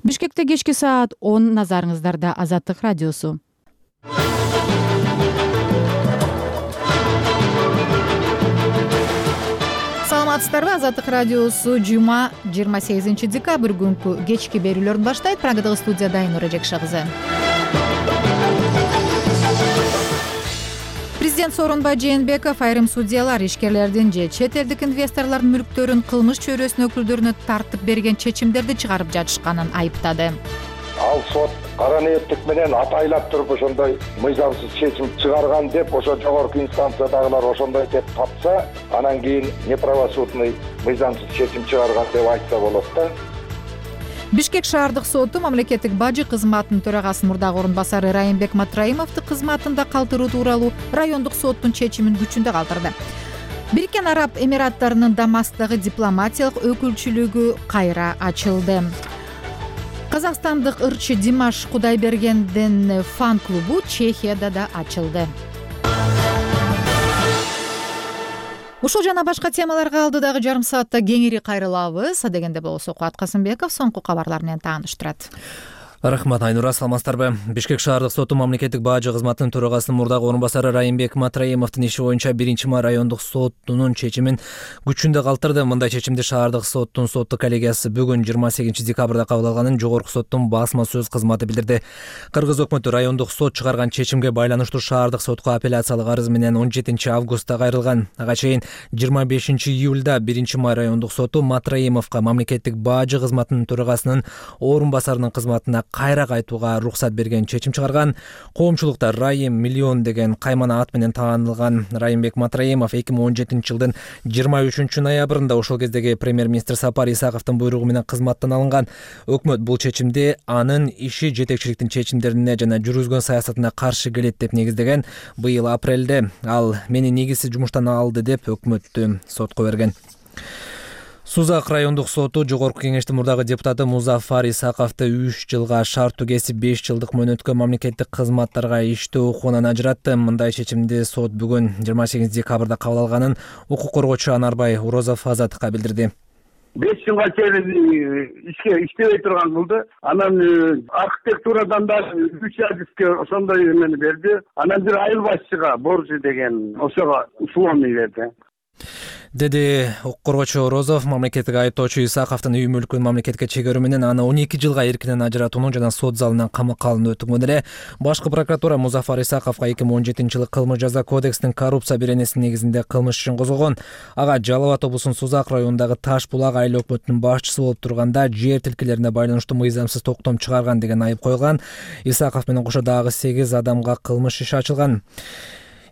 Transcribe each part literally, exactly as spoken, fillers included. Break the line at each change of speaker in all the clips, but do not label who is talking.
Бишкекте кечки саат он, назарыңыздарда Азаттык радиосу. Саламатсыздарбы? Азаттык радиосу жума жыйырма сегизинчи декабрь күнкү кечки берүүлөрүн баштайт. Программадагы студияда Айнура Жекшагызы. Президент Сооронбай Жээнбеков айрым судьялар ишкерлердин же чет элдик инвесторлордун мүлктөрүн кылмыш чөйрөсүнүн өкүлдөрүнө тартып берген чечимдерди чыгарып жатышканын айыптады.
Ал сот кара ниеттик менен атайлап туруп ошондой мыйзамсыз чечим чыгарган деп ошо жогорку инстанциядагылар ошондой деп тапса, анан кийин неправосудный мыйзамсыз чечим чыгарган деп айтса болот да.
Бишкек шаардык соту мамлекеттик бажы кызматынын төрагасынын мурдагы орун басары Райымбек Матраимовду кызматында калтыруу тууралуу райондук соттун чечимин күчүндө калтырды. Бириккен Араб Эмираттарынын Дамасктагы дипломатиялык өкүлчүлүгү кайра ачылды. Казакстандык ырчы Димаш Кудайбергендин фан-клубу Чехияда да ачылды. Ушул жана башка темаларга алдыдагы жарым саатта кеңири кайрылабыз. Дегенде болсо Кубат Касымбеков соңку кабарлар менен тааныштырат.
Рахмат, Айнура, саламатсыздарбы? Бишкек шаардык соту мамлекеттик бажы кызматынын төрагасынын мурдагы орун басары Райымбек Матраимовдун иши боюнча биринчи май райондук сотунун чечимин күчүндө калтырды. Мындай чечимди шаардык соттун соттук коллегиясы бүгүн жыйырма сегизинчи декабрда кабыл алганын жогорку соттун басма сөз кызматы билдирди. Кыргыз өкмөтү райондук сот чыгарган чечимге байланыштуу шаардык сотко апелляциялык арыз менен он жетинчи августта кайрылган. Ага чейин жыйырма бешинчи июлда биринчи май райондук соту Матраимовго мамлекеттик бажы кызматынын төрагасынын орун басарынын кызматына кайра кайтууга уруксат берген чечим чыгарган. Коомчулукта Райым миллион деген каймана ат менен таанылган Райымбек Матраимов эки миң он жетинчи жылдын жыйырма үчүнчү ноябрында ошол кездеги премьер-министр Сапар Исаковдун буйругу менен кызматтан алынган. Өкмөт бул чечимди анын иши жетекчиликтин чечимдерине жана жүргүзгөн саясатына каршы келет деп негиздеген. Быйыл апрелде ал мени негизсиз жумуштан алды деп өкмөттү сотко берген. Сузак райондук соту жогорку кеңештин мурдагы депутаты Музафар Исаковду үч жылга шарттуу кесип беш жылдык мөөнөткө мамлекеттик кызматтарга иштөө укугунан ажыратты. Мындай чечимди сот бүгүн жыйырма сегизинчи декабрда кабыл алганын укук коргоочу Анарбай Урозов Азаттыкка билдирди.
беш жылга чейин ишке иштебей турган кылды. Анан архитектурадан да үч адиске ошондой эмени берди. Анан бир айыл башчыга боржу деген ошого условный берди.
Деди укук коргоочу Розов мамлекеттик айыптоочу Исаковдун үй мүлкүн мамлекетке чегерүү менен аны он эки жылга эркинен ажыратуунун жана сот залынан камакка алынуу өтүнгөн эле. Башкы прокуратура Музафар Исаковго эки миң он жетинчи жылы кылмыш жаза кодексинин коррупция беренесинин негизинде кылмыш ишин козгогон. Ага Жалал абад облусунун Сузак районундагы Таш булак айыл өкмөтүнүн башчысы болуп турганда жер тилкелерине байланыштуу мыйзамсыз токтом чыгарган деген айып коюлган. Исаков менен кошо дагы сегиз адамга кылмыш иши ачылган.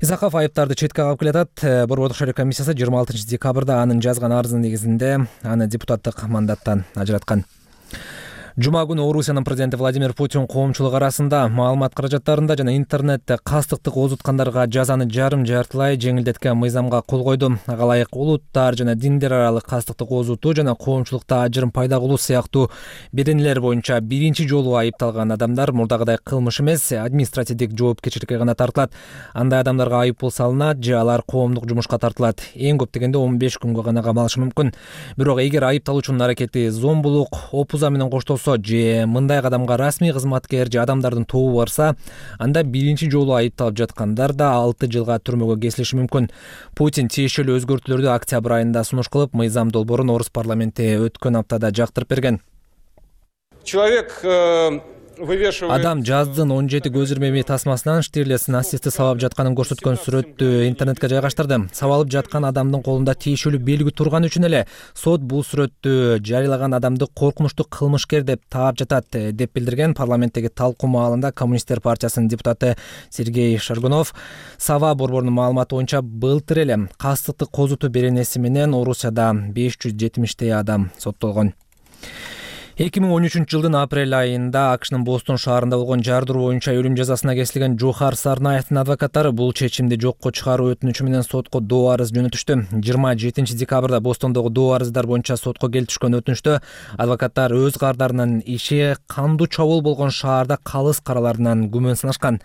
Исаков айыптарды четке кагып келатат. Борбордук шайлоо комиссиясы жыйырма алтынчы декабрда анын жазган арызынын негизинде аны депутаттык мандаттан ажыраткан. Жума күнү Орусиянын президенти Владимир Путин коомчулук арасында маалымат каражаттарында жана интернетте кастыктык оозуткандарга жазаны жарым жартылай жеңилдеткен мыйзамга кол койду. Ага ылайык улуттар жана диндер аралык кастыктык оозутуу жана коомчулукта ажырым пайда кылуу сыяктуу беренелер боюнча биринчи жолу айыпталган адамдар мурдагыдай кылмыш эмес, административдик жоопкерчиликке гана тартылат. Андай адамдарга айыппул салынат же алар коомдук жумушка тартылат. Эң көп дегенде он беш күнгө гана камалышы мүмкүн. Бирок эгер айыпталуучунун аракети зомбулук, опуза менен коштолсо же мындай кадамга расмий кызматкер же адамдардын тобу барса, анда биринчи жолу айыпталып жаткандар да алты жылга түрмөгө кесилиши мүмкүн. Путин тиешелүү өзгөртүүлөрдү октябрь айында сунуш кылып, мыйзам долбоорун Орус парламенти өткөн аптада жактырып берген.
Человек
Адам жаздын он жети көз ирмеми тасмасынан Штирлиц нацистти сабап жатканын көрсөткөн сүрөттү интернетке жайгаштырды. Сабалып жаткан адамдын колунда тиешелүү белги турган үчүн эле сот бул сүрөттү жарыялаган адамды коркунучтуу кылмышкер деп таап жатат, деп билдирген парламенттеги талкуу маалында Коммунисттер партиясынын депутаты Сергей Шаргунов. Сава борборунун маалыматы боюнча былтыр эле кастыктык козутуу беренеси менен Орусияда беш жүз жетимиштей адам соттолгон. эки миң он үчүнчү жылдын апрель айында АКШнын Бостон шаарында болгон жардыруу боюнча өлүм жазасына кесилген Жохар Сарнаевдин адвокаттары бул чечимди жокко чыгаруу өтүнүчү менен сотко доо арыз жөнөтүштү. жыйырма жетинчи декабрда Бостондогу доо арыздар боюнча сотко келип түшкөн өтүнүштө адвокаттар өз кардарынын иши кандуу чабуул болгон шаарда калыс караларынан күмөн санашкан.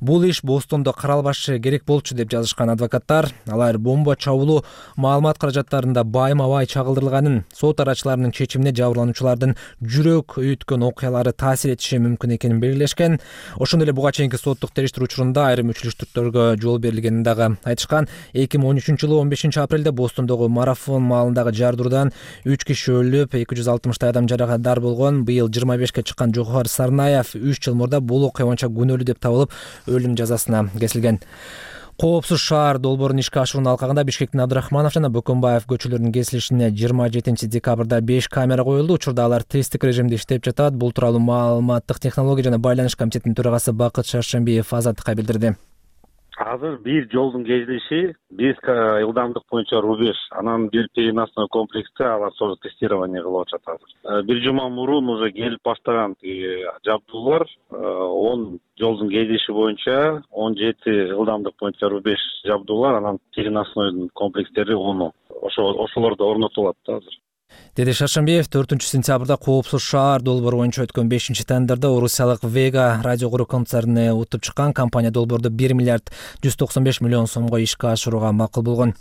Бул иш Бостондо каралбашы керек болчу деп жазышкан адвокаттар. Алар бомба чабуулу маалымат каражаттарында байма-бай чагылдырылганын, сот арачыларынын чечимине жабырлануучулардын жүрөк үйүткөн окуялары таасир этиши мүмкүн экенин белгилешкен. Ошондой эле буга чейинки соттук териштирүү учурунда айрым үчүлүштүктөргө жол берилгенин дагы айтышкан. эки миң он үчүнчү жылы он бешинчи апрелде Бостондогу марафон маалындагы жардыруудан үч киши өлүп, эки жүз алтымыштай адам жаракаттар болгон. Быйыл жыйырма бешке чыккан Жохар Сарнаев үч жыл мурда бул окуя боюнча күнөөлүү деп табылып, өлүм жазасына кесилген. Коопсуз шаар долбоорун ишке ашыруунун алкагында Бишкектин Абдрахманов жана Бөкөнбаев көчөлөрүнүн кесилишине жыйырма жетинчи декабрда беш камера коюлду. Учурда алар тесттик режимде иштеп жатат. Бул тууралуу маалыматтык технология жана байланыш комитетинин төрагасы Бакыт Шаршембиев Азаттыкка билдирди.
Азыр бир жолдун кесилиши беш ылдамдык боюнча рубеж, анан бир переносной комплексте алар тоже тестирование кылып атышат азыр. Бир жума мурун уже келип баштаган жабдуулар он жолдун кесилиши боюнча он жети ылдамдык боюнча рубеж жабдуулар, анан переносной комплекстери он. Ошо ошолор да орнотулат да азыр.
Деди Шаршембиев төртүнчү сентябрда Коопсуз шаар долбоору боюнча өткөн бешинчи тендерде орусиялык Vega радио куруу концерни утуп чыккан. Компания долбоорду бир миллиард жүз токсон беш миллион сомго ишке ашырууга макул болгон.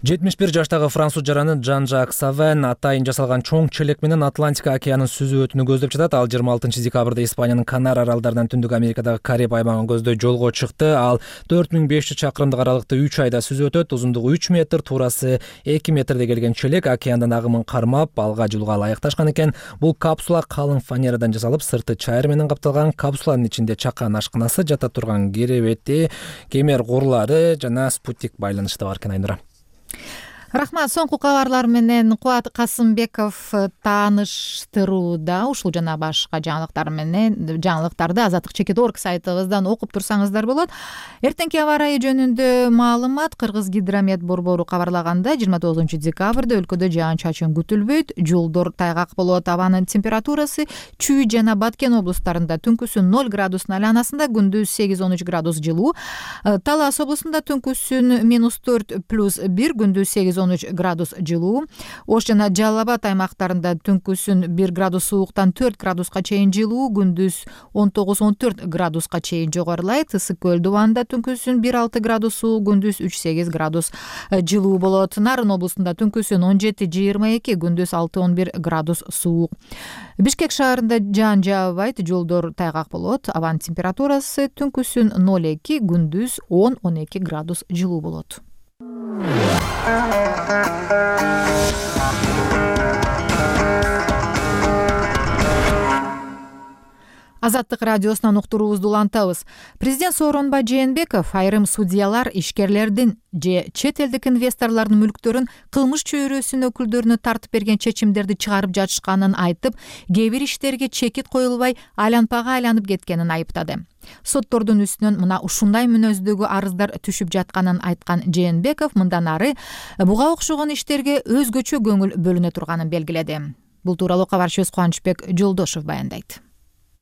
жетимиш бир жаштагы француз жараны Жан-Жак Савен атайын жасалган чоң челек менен Атлантика океанын сүзүп өтүүнү көздөп жатат. Ал жыйырма алтынчы декабрда Испаниянын Канар аралдарынан Түндүк Америкадагы Кариб аймагын көздөй жолго чыкты. Ал төрт миң беш жүз чакырымдык аралыкта үч айда сүзүп өтөт. Узундугу үч метр, туурасы эки метрде келген челек океандын агымын кармап, алга жылууга ылайыкташкан экен. Бул капсула калың фанерадан жасалып, сырты чайыр менен капталган. Капсуланын ичинде чакан ашканасы, жата турган керебети, кемер курлары жана спутник байланышы да бар экен. Айнура.
Рахмат. Соңку кабарлар менен Кубат Касымбеков тааныштырууда. Ушул жана башка жаңылыктар менен жаңылыктарды азаттык чекит точка орг сайтыбыздан окуп турсаңыздар болот. Эртеңки аба ырайы жөнүндө маалымат. Кыргыз гидромет борбору кабарлаганда жыйырма тогузунчу декабрда өлкөдө жаан-чачын күтүлбөйт. Жолдор тайгак болот. Абанын температурасы Чүй жана Баткен облустарында түнкүсүн ноль градустун айланасында, күндүз сегиз он үч градус жылуу. Талас облусунда түнкүсүн минус төрт плюс бир, күндүз сегиз он үч градус жылуу. Ош жана Жалал Абад аймактарында түнкүсүн бир градус сууктан төрт градуска чейин жылуу, күндүз он тогуз он төрт градуска чейин жогорулайт. Ысык көл дубанында түнкүсүн бир алты градус суу, күндүз үч сегиз градус жылуу болот. Нарын облусунда түнкүсүн он жети жыйырма эки, күндүз алты он бир градус суук. Бишкек шаарында жаан жаабайт, жолдор тайгак болот. Абанын температурасы түнкүсүн ноль эки, күндүз он он эки градус жылуу болот. Азаттык радиосунан уктуруубузду улантабыз. Президент Сооронбай Жээнбеков айрым судьялар ишкерлердин же чет элдик инвесторлордун мүлктөрүн кылмыш чөйрөсүнүн өкүлдөрүнө тартып берген чечимдерди чыгарып жатышканын айтып, кээ бир иштерге чекит коюлбай айланпага айланып кеткенин айыптады. Соттордун үстүнөн мына ушундай мүнөздөгү арыздар түшүп жатканын айткан Жээнбеков мындан ары буга окшогон иштерге өзгөчө көңүл бөлүнө турганын белгиледи. Бул тууралуу кабарчыбыз Кубанычбек Жолдошов баяндайт.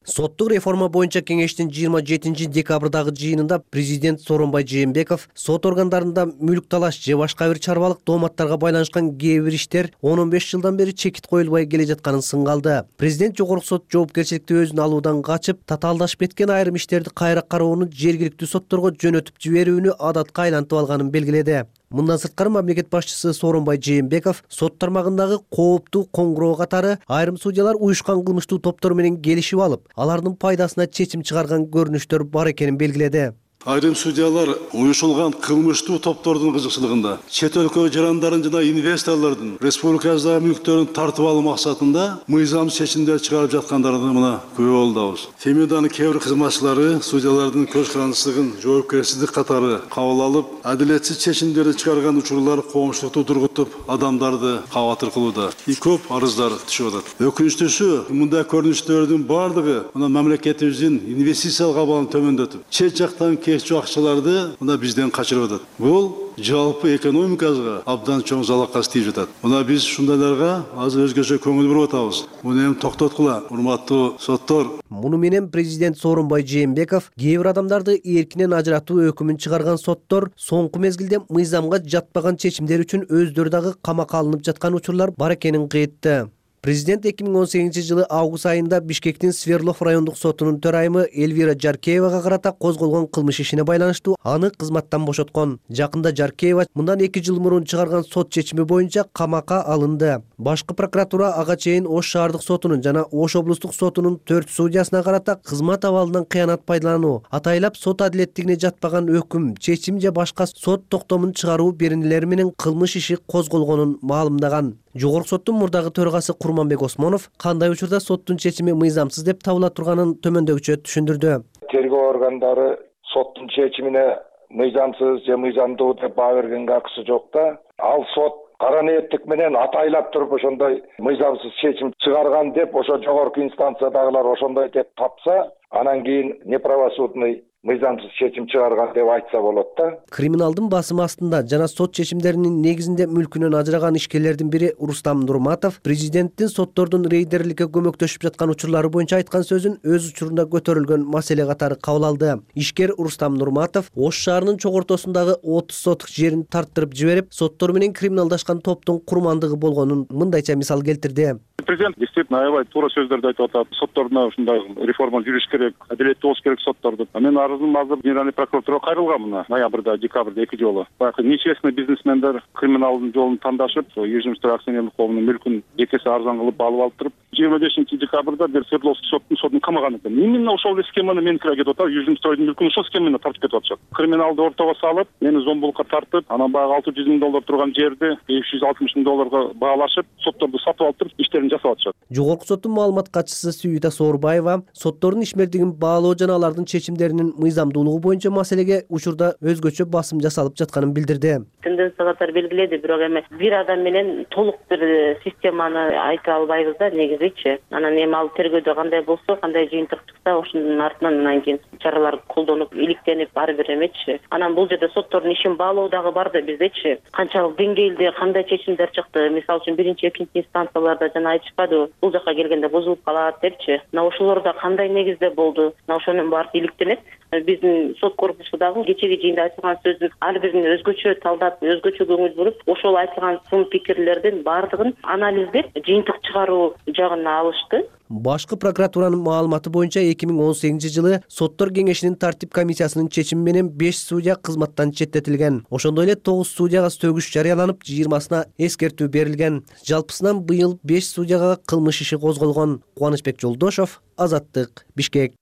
Соттук реформа боюнча кеңештин жыйырма жетинчи декабрдагы жыйынында президент Сооронбай Жээнбеков сот органдарында мүлк талаш же башка бир чарбалык дооматтарга байланышкан кээ бир иштер он он беш жылдан бери чекит коюлбай келе жатканын сынга алды. Президент жогорку сот жоопкерчиликти өзүнө алуудан качып, татаалдашып кеткен айрым иштерди кайра кароону жергиликтүү сотторго жөнөтүп жиберүүнү адатка айлантып алганын белгиледи. Мындан сырткары мамлекет башчысы Сооронбай Жээнбеков сот тармагындагы кооптуу коңгуроо катары айрым судьялар уюшкан кылмыштуу топтор менен келишип алып, алардын пайдасына чечим чыгарган көрүнүштөр бар экенин белгиледи.
Айрым судьялар уюшулган кылмыштуу топтордун кызыкчылыгында чет өлкө жарандарын жана инвесторлордун республикабыздагы мүлктөрүн тартып алуу максатында мыйзам чечимдер чыгарып жаткандарын мына күбө болдубуз. Фемиданын кээ бир кызматчылары судьялардын көз карандысыздыгын жоопкерсиздик катары кабыл алып, адилетсиз чечимдерди чыгарган учурлар коомчулукту тургутуп, адамдарды кабатыр кылууда. И көп арыздар түшүп атат. Өкүнүчтүүсү, мындай көрүнүштөрдүн бардыгы мына мамлекетибиздин инвестициялык абалын төмөндөтүп, чет жактан кечүү акчаларды мына бизден качырып атат. Бул жалпы экономикабызга абдан чоң залакка тийип жатат. Мына биз ушундайларга азыр өзгөчө көңүл буруп атабыз. Муну эми токтоткула, урматтуу соттор.
Муну менен президент Сооронбай Жээнбеков кээ бир адамдарды эркинен ажыратуу өкүмүн чыгарган соттор соңку мезгилде мыйзамга жатпаган чечимдер үчүн өздөрү дагы камакка алынып жаткан учурлар бар экенин кыйтты. Президент эки миң он сегизинчи жылы август айында Бишкектин Свердлов райондук сотунун төрайымы Эльвира Жаркеевага карата козголгон кылмыш ишине байланыштуу аны кызматтан бошоткон. Жакында Жаркеева мындан эки жыл мурун чыгарган сот чечими боюнча камакка алынды. Башкы прокуратура ага чейин Ош шаардык сотунун жана Ош облустук сотунун төрт судьясына карата кызмат абалынан кыянат пайдалануу, атайлап сот адилеттигине жатпаган өкүм, чечим же башка сот токтомун чыгаруу беренелери менен кылмыш иши козголгонун маалымдаган. Жогорку соттун мурдагы төрагасы Курманбек Осмонов кандай учурда соттун чечими мыйзамсыз деп табыла турганын төмөндөгүчө түшүндүрдү.
Тергөө органдары соттун чечимине мыйзамсыз же мыйзамдуу деп баа бергенге акысы жок да. Ал сот кара ниеттик менен атайлап туруп ошондой мыйзамсыз чечим чыгарган деп ошо жогорку инстанциядагылар ошондой деп тапса, анан кийин неправосудный мыйзамсыз чечим чыгарган деп айтса болот да.
Криминалдын басымы астында жана сот чечимдеринин негизинде мүлкүнөн ажыраган ишкерлердин бири Рустам Нурматов президенттин соттордун рейдерликке көмөктөшүп жаткан учурлары боюнча айткан сөзүн өз учурунда көтөрүлгөн маселе катары кабыл алды. Ишкер Рустам Нурматов Ош шаарынын чок ортосундагы отуз соток жерин тарттырып жиберип, соттор менен криминалдашкан топтун курмандыгы болгонун мындайча мисал келтирди.
Президент действительно аябай туура сөздөрдү айтып атат. Соттордо ушундай реформа жүрүш керек, адилеттүү болуш керек сотторду. Мен арызым азыр Генеральный прокуратурага кайрылган мына ноябрда, декабрда эки жолу. Баягы нечестный бизнесмендер криминалдын жолун тандашып, Южный акционерлик коомунун мүлкүн эки эсе арзан кылып алып алыптырып, жыйырма бешинчи декабрда бир Свердловский соттун сотун камаган экен. Именно ошол схеманы меникилер кетип атат. Южный стройдун мүлкүн ошол схеманы тартып кетип атышат. Криминалды ортого салып, мени зомбулукка тартып, анан баягы алты жүз миң доллар турган жерди беш жүз алтымыш миң долларга баалашып, сотторду сатып алып туруп, иштерин жасап атышат.
Жогорку соттун маалымат катчысы Сүйүта Соорбаева соттордун ишмердигин баалоо жана алардын чечимдеринин мыйзамдуулугу боюнча маселеге учурда өзгөчө басым жасалып жатканын билдирди.
Тенденциялар белгиледи, бирок эми бир адам менен толук бир системаны айта албайбыз да негизичи. Анан эми ал тергөөдө кандай болсо, кандай жыйынтык чыкса, ошонун артынан анан кийин чаралар колдонуп, иликтенип ар бир эмечи. Анан бул жерде соттордун ишин баалоо дагы бар да биздечи. Канчалык деңгээлде кандай чечимдер чыкты? Мисалы үчүн биринчи, экинчи инстанцияларда жана айтышпады, бул жака келгенде бузулуп калат депчи. Мына ошолордо кандай негизде болду? Мына ошонун баары иликтенет. Биздин сот корпусу дагы кечеги жыйында айтылган сөздүн ар бирин өзгөчө талдап, өзгөчө көңүл буруп, ошол айтылган сын пикирлердин баардыгын анализдеп, жыйынтык чыгаруу жагына алышты.
Башкы прокуратуранын маалыматы боюнча эки миң он сегизинчи жылы соттор кеңешинин тартип комиссиясынын чечими менен беш судья кызматтан четтетилген. Ошондой эле тогуз судьяга сөгүш жарыяланып, жыйырмасына эскертүү берилген. Жалпысынан быйыл беш судьяга кылмыш иши козголгон. Кубанычбек Жолдошов, Азаттык, Бишкек.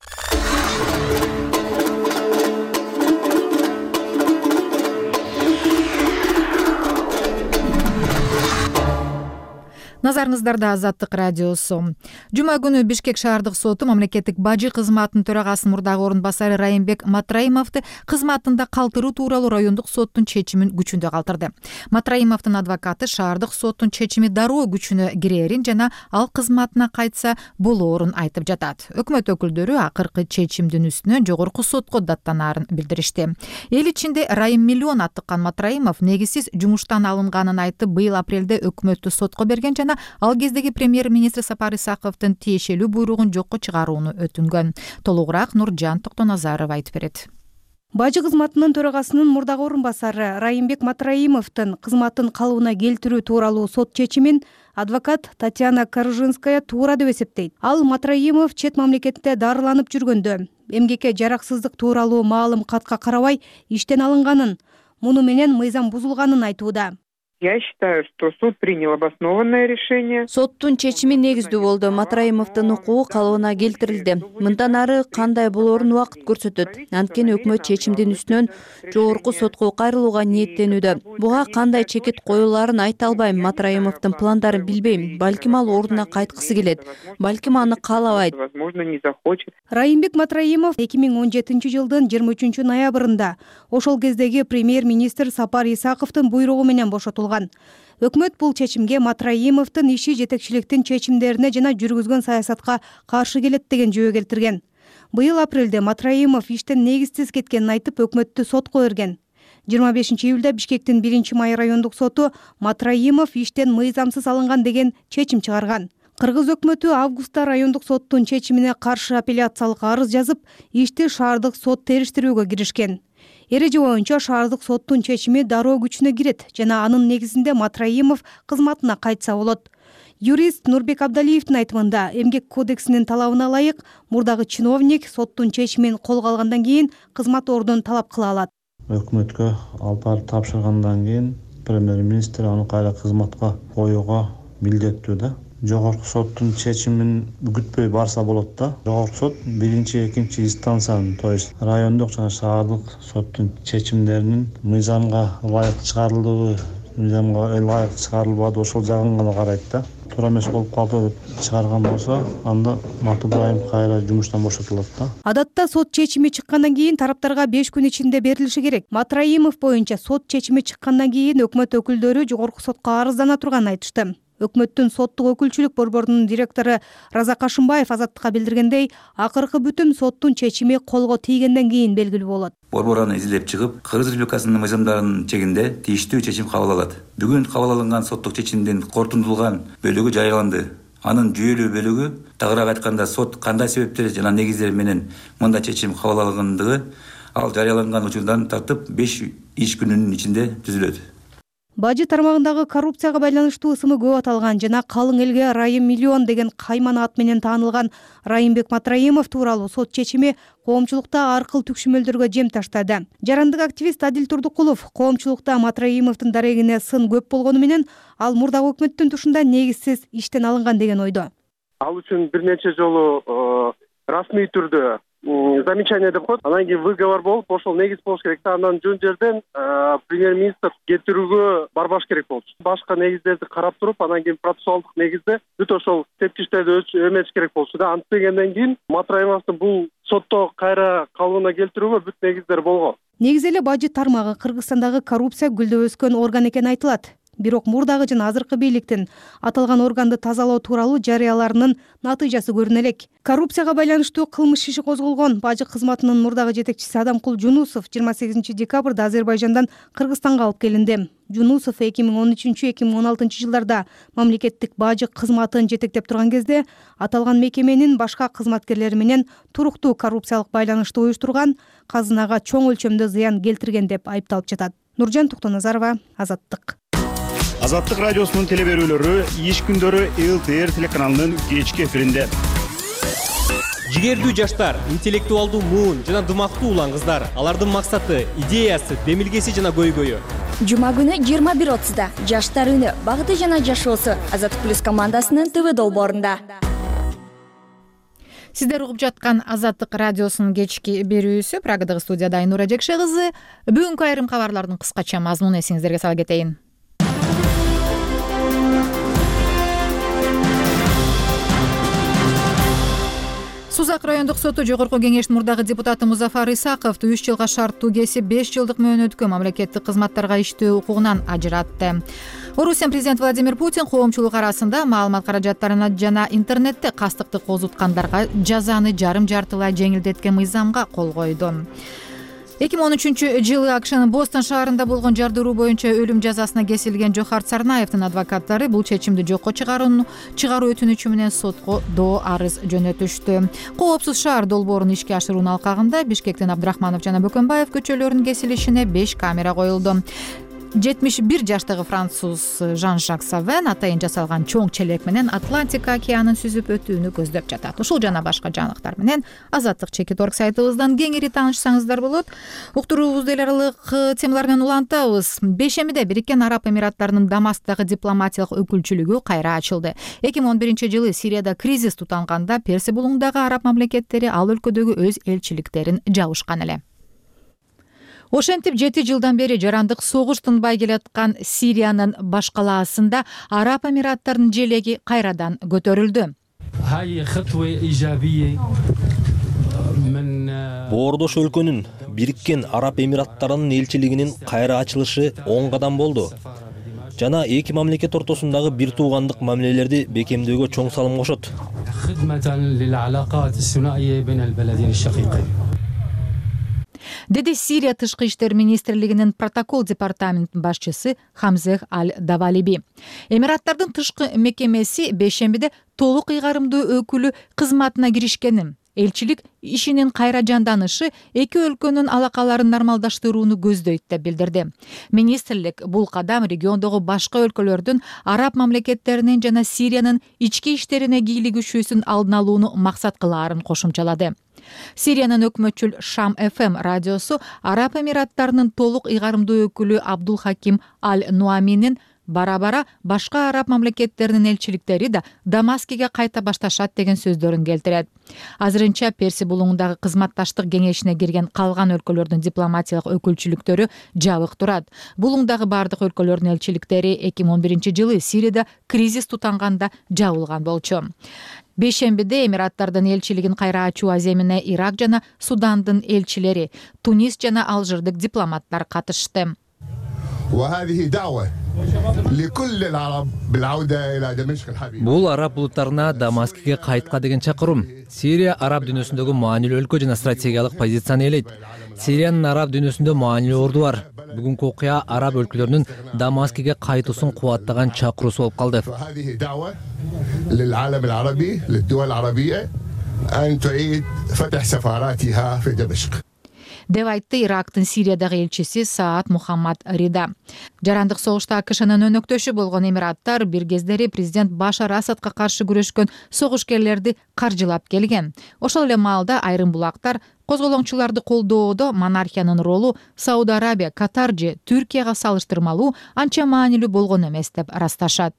Назарыңыздарда Азаттык радиосу. Жума күнү Бишкек шаардык соту мамлекеттик бажы кызматынын төрагасынын мурдагы орун басары Райымбек Матраимовду кызматында калтыруу тууралуу райондук соттун чечимин күчүндө калтырды. Матраимовдун адвокаты шаардык соттун чечими дароо күчүнө кирерин жана ал кызматына кайтса болоорун айтып жатат. Өкмөт өкүлдөрү акыркы чечимдин үстүнөн жогорку сотко даттанаарын билдиришти. Эл ичинде Райым миллион аттыккан Матраимов негизсиз жумуштан алынганын айтып, быйыл апрелде өкмөттү сотко берген жана ал кездеги премьер-министр Сапар Исаковдун тиешелүү буйругун жокко чыгарууну өтүнгөн. Толугураак Нуржан Токтоназаров айтып берет.
Бажы кызматынын төрагасынын мурдагы орун басары Райымбек Матраимовдун кызматын калыбына келтирүү тууралуу сот чечимин адвокат Татьяна Коржинская туура деп эсептейт. Ал Матраимов чет мамлекетте дарыланып жүргөндө эмгекке жараксыздык тууралуу маалым катка карабай иштен алынганын, муну менен мыйзам бузулганын айтууда.
Я считаю, что суд принял обоснованное решение.
Соттун чечими негиздүү болду. Матраимовдун укугу калыбына келтирилди. Мындан ары кандай болоорун убакыт көрсөтөт. Анткени өкмөт чечимдин үстүнөн жогорку сотко кайрылууга ниеттенүүдө. Буга кандай чекит коюлаарын айта албайм. Матраимовдун пландарын билбейм. Балким ал ордуна кайткысы келет. Балким аны каалабайт.
Возможно, не захочет.
Райымбек Матраимов эки миң он жетинчи жылдын жыйырма үчүнчү ноябрында ошол кездеги премьер-министр Сапар Исаковдун буйругу менен бошотулган. Өкмөт бул чечимге Матраимовдун иши жетекчиликтин чечимдерине жана жүргүзгөн саясатка каршы келет деген жөө келтирген. Быйыл апрелде Матраимов иштен негизсиз кеткенин айтып, өкмөттү сотко берген. жыйырма бешинчи июлда Бишкектин биринчи май райондук соту Матраимов иштен мыйзамсыз алынган деген чечим чыгарган. Кыргыз өкмөтү августта райондук соттун чечимине каршы апелляциялык арыз жазып, ишти шаардык сот териштирүүгө киришкен. Эреже боюнча шаардык соттун чечими дароо күчүнө кирет жана анын негизинде Матраимов кызматына кайтса болот. Юрист Нурбек Абдалиевдин айтымында эмгек кодексинин талабына ылайык мурдагы чиновник соттун чечимин колго алгандан кийин кызмат ордун талап кыла алат.
Өкмөткө алып барып тапшыргандан кийин премьер-министр аны кайра кызматка коюуга милдеттүү да. Жогорку соттун чечимин күтпөй барса болот да. Жогорку сот биринчи, экинчи инстанциянын, то есть райондук жана шаардык соттун чечимдеринин мыйзамга ылайык чыгарылдыбы, мыйзамга ылайык чыгарылбады, ошол жагын гана карайт да. Туура эмес болуп калды деп чыгарган болсо, анда Матыбаев кайра жумуштан бошотулат да.
Адатта сот чечими чыккандан кийин тараптарга беш күн ичинде берилиши керек. Матраимов боюнча сот чечими чыккандан кийин өкмөт өкүлдөрү жогорку сотко арыздана турганын айтышты. Өкмөттүн соттук өкүлчүлүк борборунун директору Разак Ашымбаев Азаттыкка билдиргендей, акыркы бүтүм соттун чечими колго тийгенден кийин белгилүү болот.
Борбор аны изилдеп чыгып, Кыргыз Республикасынын мыйзамдарынын чегинде тийиштүү чечим кабыл алат. Бүгүн кабыл алынган соттук чечимдин корутундулган бөлүгү жарыяланды. Анын жүйөлүү бөлүгү, тагыраак айтканда, сот кандай себептер жана негиздер менен мындай чечим кабыл алгандыгы ал жарыяланган учурдан тартып беш иш күнүнүн ичинде түзүлөт.
Бажы тармагындагы коррупцияга байланыштуу ысымы көп аталган жана калың элге Райым миллион деген каймана ат менен таанылган Райымбек Матраимов тууралуу сот чечими коомчулукта ар кыл түкшүмөлдөргө жем таштады. Жарандык активист Адил Турдукулов коомчулукта Матраимовдун дарегине сын көп болгону менен ал мурдагы өкмөттүн тушунда негизсиз иштен алынган деген ойдо.
Ал үчүн бир нече жолу расмий түрдө замечание деп коет. Анан кийин выговор болуп, ошол негиз болуш керек да. Андан жөн жерден премьер-министр кетирүүгө барбаш керек болчу. Башка негиздерди карап туруп, анан кийин процессуалдык негизде бүт ошол тепкичтерди эметиш керек болчу да. Антпегенден кийин Матраимовдун бул сотто кайра калыбына келтирүүгө бүт негиздер болгон.
Негизи эле бажы тармагы Кыргызстандагы коррупция гүлдөп өскөн орган экени айтылат. Бирок мурдагы жана азыркы бийликтин аталган органды тазалоо тууралуу жарыяларынын натыйжасы көрүнө элек. Коррупцияга байланыштуу кылмыш иши козголгон бажы кызматынын мурдагы жетекчиси Адамкул Жунусов жыйырма сегизинчи декабрда Азербайжандан Кыргызстанга алып келинди. Жунусов эки миң он үчүнчү эки миң он алтынчы жылдарда мамлекеттик бажы кызматын жетектеп турган кезде аталган мекеменин башка кызматкерлери менен туруктуу коррупциялык байланышты уюштурган, казынага чоң өлчөмдө зыян келтирген деп айыпталып жатат. Нуржан Токтоназарова, Азаттык.
Азаттык радиосунун телеберүүлөрү иш күндөрү эл тэ эр телеканалынын кечки эфиринде.
Жигердүү жаштар, интеллектуалдуу муун жана дымактуу улан кыздар. Алардын максаты, идеясы, демилгеси жана көйгөйү.
Жума күнү жыйырма бир отузда жаштар үнү, багыты жана жашоосу Азаттык плюс командасынын ТВ долбоорунда.
Сиздер угуп жаткан Азаттык радиосунун кечки берүүсү. Прагадагы студияда Айнура Жекше кызы. Бүгүнкү айрым кабарлардын кыскача мазмунун эсиңиздерге сала кетейин. Сузак райондук соту жогорку кеңештин мурдагы депутаты Музафар Исаковду үч жылга шарттуу кесип беш жылдык мөөнөткө мамлекеттик кызматтарга иштөө укугунан ажыратты. Орусия президенти Владимир Путин коомчулук арасында маалымат каражаттарына жана интернетте кастыкты козуткандарга жазаны жарым жартылай жеңилдеткен мыйзамга кол койду. эки миң он үчүнчү жылы АКШнын Бостон шаарында болгон жардыруу боюнча өлүм жазасына кесилген Жохарт Сарнаевдин адвокаттары бул чечимди жокко чыгаруу чыгаруу өтүнүчү менен сотко доо арыз жөнөтүштү. Коопсуз шаар долбоорун ишке ашыруунун алкагында Бишкектин Абдрахманов жана Бөкөнбаев көчөлөрүнүн кесилишине беш камера коюлду. жетимиш бир жаштагы француз Жан-Жак Савен атайын жасалган чоң челек менен Атлантика океанын сүзүп өтүүнү көздөп жатат. Ушул жана башка жаңылыктар менен Азаттык чекит орг сайтыбыздан кеңири таанышсаңыздар болот. Уктуруубузду эл аралык темалар менен улантабыз. Бейшембиде Бириккен Араб Эмираттарынын Дамасктагы дипломатиялык өкүлчүлүгү кайра ачылды. эки миң он биринчи жылы Сирияда кризис тутанганда Персия булуңундагы араб мамлекеттери ал өлкөдөгү өз элчиликтерин жабышкан эле. Ошентип жети жылдан бери жарандык согуш тынбай келаткан Сириянын баш калаасында Араб Эмираттарынын желеги кайрадан көтөрүлдү.
Боордош өлкөнүн Бириккен Араб Эмираттарынын элчилигинин кайра ачылышы оң кадам болду. Жана эки мамлекет ортосундагы бир туугандык мамилелерди бекемдөөгө чоң салым кошот.
Деди Сирия тышкы иштер министрлигинин протокол департаментинин башчысы Хамзех Аль-Давалиби. Эмираттардын тышкы мекемеси бейшембиде толук ыйгарымдуу өкүлү кызматына киришкенин, элчилик ишинин кайра жанданышы эки өлкөнүн алакаларын нормалдаштырууну көздөйт деп билдирди. Министрлик бул кадам региондогу башка өлкөлөрдүн араб мамлекеттеринин жана Сириянын ички иштерине кийлигишүүсүн алдын алууну максат кылаарын кошумчалады. Сириянын өкмөтчүл Шам эф эм радиосу Араб Эмираттарынын толук ыйгарымдуу өкүлү Абдул Хаким Аль-Нуаминин бара-бара башка араб мамлекеттеринин элчиликтери да Дамаскиге кайта башташат деген сөздөрүн келтирет. Азырынча Перси булуңундагы кызматташтык кеңешине кирген калган өлкөлөрдүн дипломатиялык өкүлчүлүктөрү жабык турат. Булуңдагы бардык өлкөлөрдүн элчиликтери эки миң он биринчи жылы Сирияда кризис тутанганда жабылган болчу. Бейшембиде Эмираттардын элчилигин кайра ачуу аземине Ирак жана Судандын элчилери, Тунис жана Алжирдик дипломаттар катышты.
Бул араб булуттарына Дамаскиге кайтка деген чакыруу. Сирия араб дүйнөсүндөгү маанилүү өлкө жана стратегиялык позицияны ээлейт. Сириянын араб дүйнөсүндө маанилүү орду бар. Бүгүнкү окуя араб өлкөлөрүнүн Дамаскиге кайтуусун кубаттаган чакыруусу болуп калды.
деп айтты Ирактын Сириядагы элчиси Саад Мухаммад Рида. Жарандык согушта АКШнын өнөктөшү болгон Эмираттар бир кездери президент Башар Асадка каршы күрөшкөн согушкерлерди каржылап келген. Ошол эле маалда айрым булактар козголоңчуларды колдоодо монархиянын ролу Сауд Арабия, Катар же Түркияга салыштырмалуу анча маанилүү болгон эмес деп ырасташат.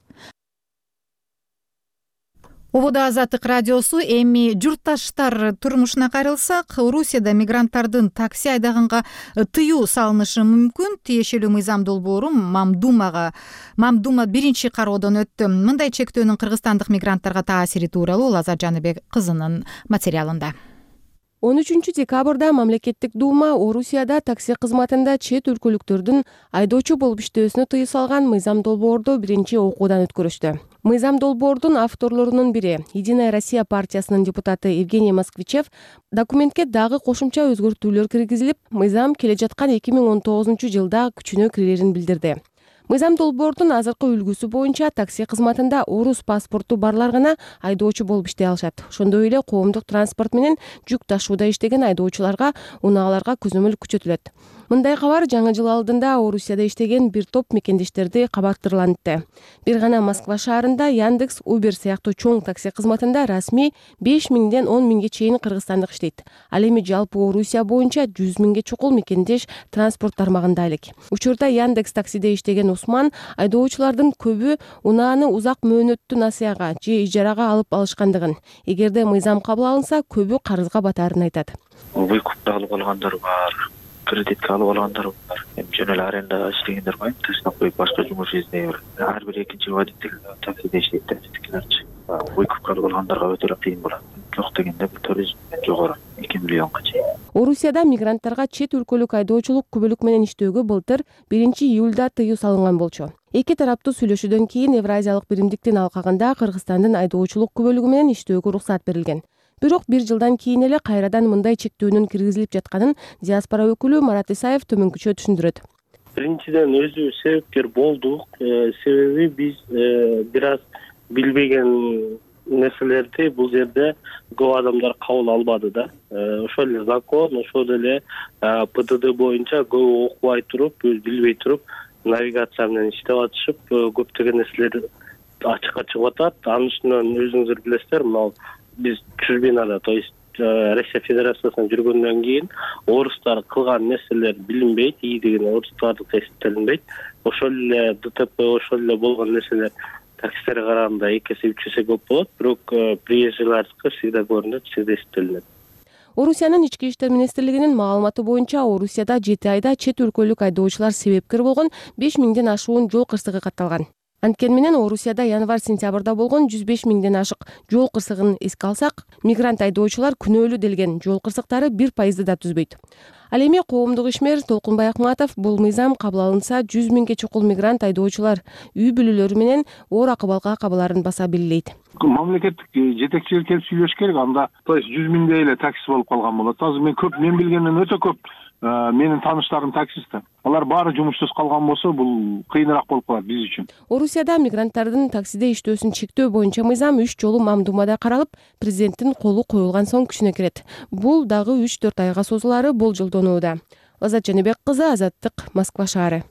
Ободо Азаттык радиосу. Эми журтташтар турмушуна кайрылсак, Орусияда мигранттардын такси айдаганга тыюу салынышы мүмкүн. Тиешелүү мыйзам долбоору Мамдумага Мамдума биринчи кароодон өттү. Мындай чектөөнүн кыргызстандык мигранттарга таасири тууралуу Лаза Жаныбек кызынын материалында.
он үчүнчү декабрда мамлекеттик дума Орусияда такси кызматында чет өлкөлүктөрдүн айдоочу болуп иштөөсүнө тыюу салган мыйзам долбоорду биринчи окуудан өткөрүштү. Мыйзам долбоордун авторлорунун бири, Единая Россия партиясынын депутаты Евгений Москвичев, документке дагы кошумча өзгөртүүлөр киргизилип, мыйзам келе жаткан эки миң он тогузунчу жылда күчүнө кирерин билдирди. Мыйзам долбоордун азыркы үлгүсү боюнча такси кызматында орус паспорту барлар гана айдоочу болуп иштей алышат. Ошондой эле коомдук транспорт менен жүк ташууда иштеген айдоочуларга унааларга көзөмөл күчөтүлөт. Мындай кабар жаңы жыл алдында Орусияда иштеген бир топ мекендештерди кабаттырлантты. Бир гана Москва шаарында Яндекс, Uber сыяктуу чоң такси кызматында расмий беш миңден он миңге чейин кыргызстандык иштейт. Ал эми жалпы Орусия боюнча жүз миңге чукул мекендеш транспорт тармагында элек. Учурда Яндекс таксиде иштеген Усман айдоочулардын көбү унааны узак мөөнөттүү насыяга же ижарага алып алышкандыгын, эгерде мыйзам кабыл алынса, көбү карызга батарын айтат.
Выкупта алып алгандар бар, кредитке алып алгандар бар. Эми жөн эле арендага иштегендер бар, таштап коюп башка жумуш издей бер. Ар бир экинчи водитель таксиде иштейт да, тикилерчи. Выкупка алып алгандарга өтө эле кыйын болот. Жок дегенде бул туризм жогору эки миллионго чейин.
Орусияда мигранттарга чет өлкөлүк айдоочулук күбөлүк менен иштөөгө былтыр биринчи июлда тыюу салынган болчу. Эки тараптуу сүйлөшүүдөн кийин Евразиялык биримдиктин алкагында Кыргызстандын айдоочулук күбөлүгү менен иштөөгө уруксат берилген. Бирок бир жылдан кийин эле кайрадан мындай чектөөнүн киргизилип жатканын диаспора өкүлү Марат Исаев төмөнкүчө түшүндүрөт.
Биринчиден өзү себепкер болдук. Себеби биз бир аз билбеген нерселерди бул жерде көп адамдар кабыл албады да. Ошол эле закон, ошол эле П Д Д боюнча көп окубай туруп, билбей туруп, навигация менен иштеп атышып, көптөгөн нерселер ачыкка чыгып атат. Анын үстүнөн өзүңүздөр билесиздер, мына биз чужбинада, то есть Россия Федерациясына жүргөндөн кийин орустар кылган нерселер билинбейт, ии деген орустардык эсептелинбейт. Ошол эле Д Т П, ошол эле болгон нерселер таксилерге караганда эки эсе үч эсе көп болот, бирок приезжийлардыкы всегда көрүнөт, всегда эсептелинет.
Орусиянын ички иштер министрлигинин маалыматы боюнча Орусияда жети айда чет өлкөлүк айдоочулар себепкер болгон беш миңден ашуун жол кырсыгы катталган. Анткени менен Орусияда январь-сентябрда болгон жүз беш миңден ашык жол кырсыгын эске алсак, мигрант айдоочулар күнөөлүү делген жол кырсыктары бир пайызды да түзбөйт. Ал эми коомдук ишмер Толкунбай Акматов бул мыйзам кабыл алынса жүз миңге чукул мигрант айдоочулар үй бүлөлөрү менен оор акыбалга кабыларын баса белгилейт.
Мамлекеттик жетекчилик келип сүйлөш керек, анда то есть жүз миңдей эле такси болуп калган болот. Азыр мен көп мен билгенден өтө көп
менин тааныштарым таксисттер. Алар баары жумушсуз калган болсо, бул кыйыныраак болуп калат биз үчүн.
Орусияда мигранттардын таксиде иштөөсүн чектөө боюнча мыйзам үч жолу мамдумада каралып, президенттин колу коюлган соң күчүнө кирет. Бул дагы үч төрт айга созулаары болжолдонууда. Азат Жаныбек кызы, Азаттык, Москва шаары.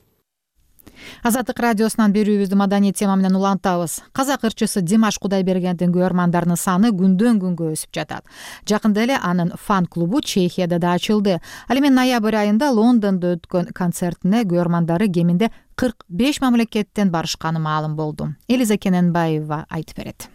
Азаттык радиосунан берүүбүздү маданий тема менен улантабыз. Казак ырчысы Димаш Кудайбергендин көрөрмандарынын саны күндөн күнгө өсүп жатат. Жакында эле анын фан-клубу Чехияда да ачылды. Ал эми ноябрь айында Лондондо өткөн концертине көрөрмандары кеминде кырк беш мамлекеттен барышканы маалым болду. Элиза Кененбаева айтып берет.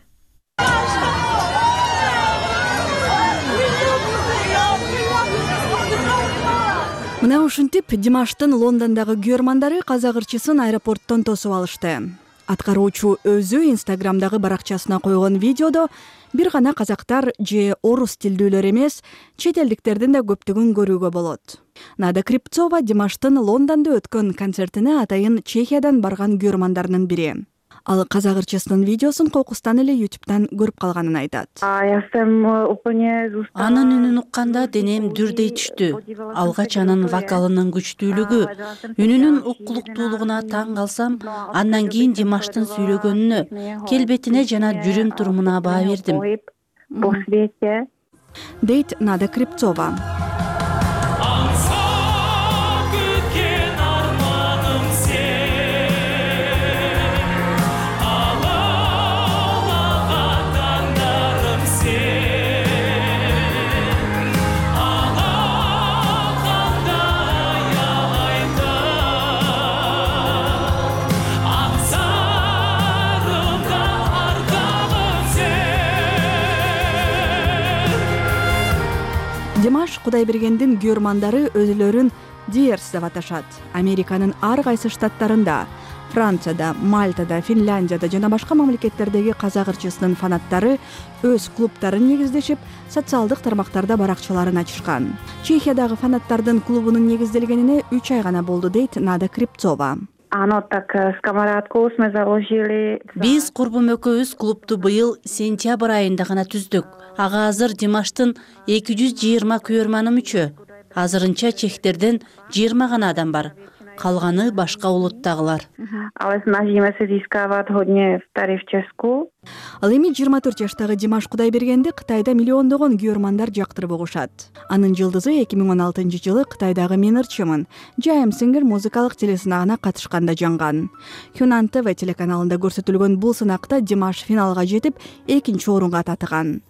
Мына ушинтип Димаштын Лондондогу көрөрмандары казак ырчысын аэропорттон тосуп алышты. Аткаруучу өзү Инстаграмдагы баракчасына койгон видеодо бир гана казактар же орус тилдүүлөр эмес, чет элдиктердин да көптүгүн көрүүгө болот. Нада Крипцова Димаштын Лондондо өткөн концертине атайын Чехиядан барган көрөрмандарынын бири. Ал казак ырчысынын видеосун кокустан эле ютубтан көрүп калганын айтат.
Анын үнүн укканда денем дүрдей түштү. Алгач анын вокалынын күчтүүлүгү, үнүнүн уккулуктуулугуна таң калсам, андан кийин Димаштын сүйлөгөнүнө, келбетине жана жүрүм турумуна баа бердим.
Дейт Нада Крипцова. Димаш Кудайбергендин көрөрмандары өзүлөрүн Диерс деп аташат. Американын ар кайсы штаттарында, Францияда, Мальтада, Финляндияда жана башка мамлекеттердеги казак ырчысынын фанаттары өз клубтарын негиздешип, социалдык тармактарда баракчаларын ачышкан. Чехиядагы фанаттардын клубунун негизделгенине үч ай гана болду, дейт Нада Крипцова.
Биз курбум экөөбүз клубту быйыл сентябрь айында гана түздүк. Ага азыр Димаштын эки жүз жыйырма көрөрманы мүчө. Азырынча чехтерден жыйырма гана адам бар. Калганы башка улуттагылар.
Ал эми жыйырма төрт жаштагы Димаш Кудайбергенди Кытайда миллиондогон көрөрмандар жактырып угушат. Анын жылдызы эки миң он алтынчы жылы Кытайдагы Мен ырчымын Жайым Сингер музыкалык телесынагына катышканда жанган. Хюнан ТВ телеканалында көрсөтүлгөн бул сынакта Димаш финалга жетип, экинчи орунга татыган.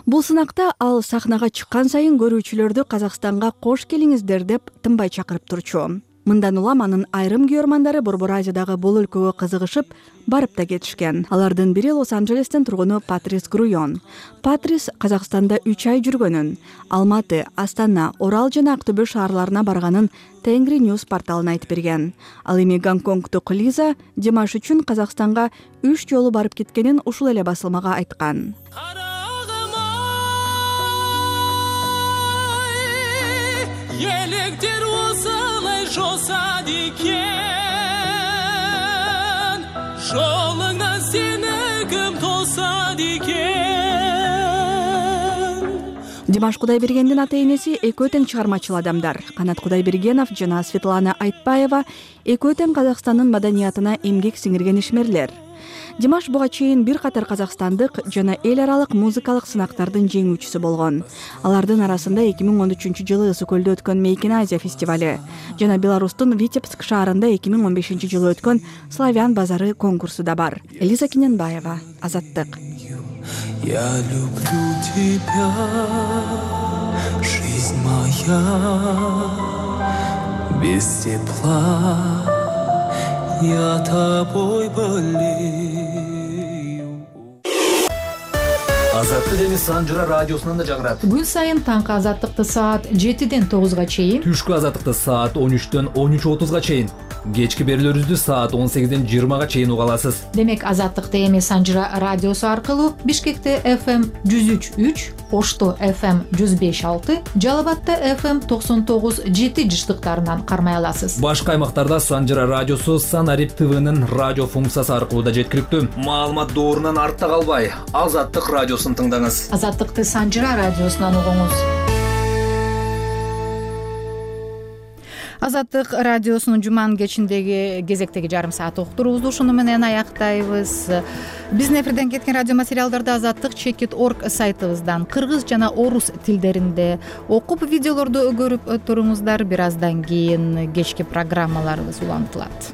Бул сынакта ал сахнага чыккан сайын көрүүчүлөрдү Казакстанга кош келиңиздер деп тынбай чакырып турчу. Мындан улам анын айрым көрөрмандары Борбор Азиядагы бул өлкөгө кызыгышып, барып да кетишкен. Алардын бири Лос-Анджелестен тургуну Патрис Груйон. Патрис Казакстанда үч ай жүргөнүн, Алматы, Астана, Орал жана Актөбө шаарларына барганын Тенгри News порталына айтып берген. Ал эми Гонконгдук Лиза Димаш үчүн Казакстанга үч жолу барып кеткенин ушул эле басылмага айткан.
Електер осылай жосады екен, жолыңнан сені кім тосады екен.
Димаш Кудайбергендин ата-энеси экөө тең чыгармачыл адамдар. Канат Кудайбергенов жана Светлана Айтбаева экөө тең Казакстандын маданиятына эмгек сиңирген ишмерлер. Димаш буга чейин бир катар казакстандык жана эл аралык музыкалык сынактардын жеңүүчүсү болгон. Алардын арасында эки миң он үчүнчү жылы Ысык көлдө өткөн Мейкин Азия фестивали жана Беларустун Витебск шаарында эки миң он бешинчи жылы өткөн Славян базары конкурсу да бар. Элиза Кененбаева, Азаттык.
Я люблю тебя, жизнь моя, без тепла я тобой болею.
Азаттык эми Санжыра радиосунан да жагырат.
Күн сайын таңкы азаттыкты саат жетиден тогузга чейин,
түшкү азаттыкты саат он үчтөн он үч отузга чейин, кечки берүүлөрүбүздү саат он сегизден жыйырмага чейин уга аласыз.
Демек азаттыкты эми Санжыра радиосу аркылуу Бишкекте эф эм жүз үч үч, Ошто эф эм жүз беш алты, Жалал Абадта эф эм токсон тогуз жети жыштыктарынан кармай аласыз.
Башка аймактарда Санжыра радиосу Санарип ТВнын радио функциясы аркылуу да жеткиликтүү. Маалымат доорунан артта калбай, Азаттык радиосун тыңдаңыз.
Азаттыкты Санжыра радиосунан угуңуз. Азаттык радиосунун жуманын кечиндеги кезектеги жарым саат уктуруубузду ушуну менен аяктайбыз. Биздин эфирден кеткен радио материалдарды азаттык чекит точка орг сайтыбыздан кыргыз жана орус тилдеринде окуп, видеолорду көрүп туруңуздар. Бир аздан кийин кечки программаларыбыз улантылат.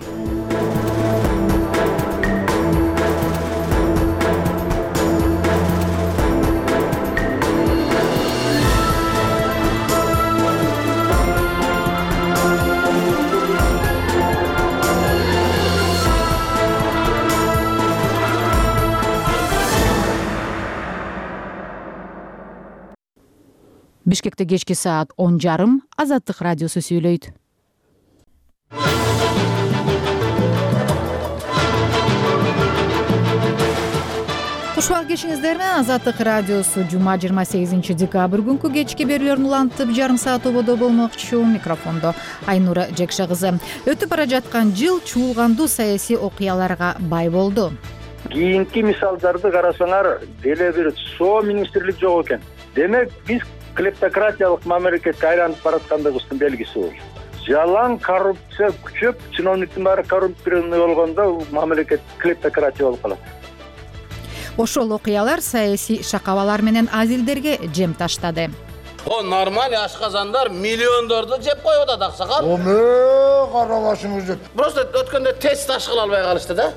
Бишкекте кечки саат он жарым Азаттык радиосу сүйлөйт. Кушубак кешиңиздер менен Азаттык радиосу жума жыйырма сегизинчи декабрь күнкү кечки берүүлөрүн улантып, жарым саат ободо болмокчу. Микрофондо Айнура Жекша кызы. Өтүп бара жаткан жыл чуулгандуу саясий окуяларга бай болду.
Кийинки мисалдарды карасаңар, деле бир соо министрлик жок экен. Демек, биз клептократиялык мамлекетке айланып бараткандыгыбыздын белгиси бул. Жалаң коррупция күчөп, чиновниктин баары коррумпированный болгондо мамлекет клептократия болуп калат.
Ошол окуялар саясий шакабалар менен азилдерге жем таштады.
О, нормаль ашказандар миллиондорду жеп коюп атат, аксакал.
Оме, карабашыңыз жеп.
Просто өткөндө тест ташкыла албай калышты да.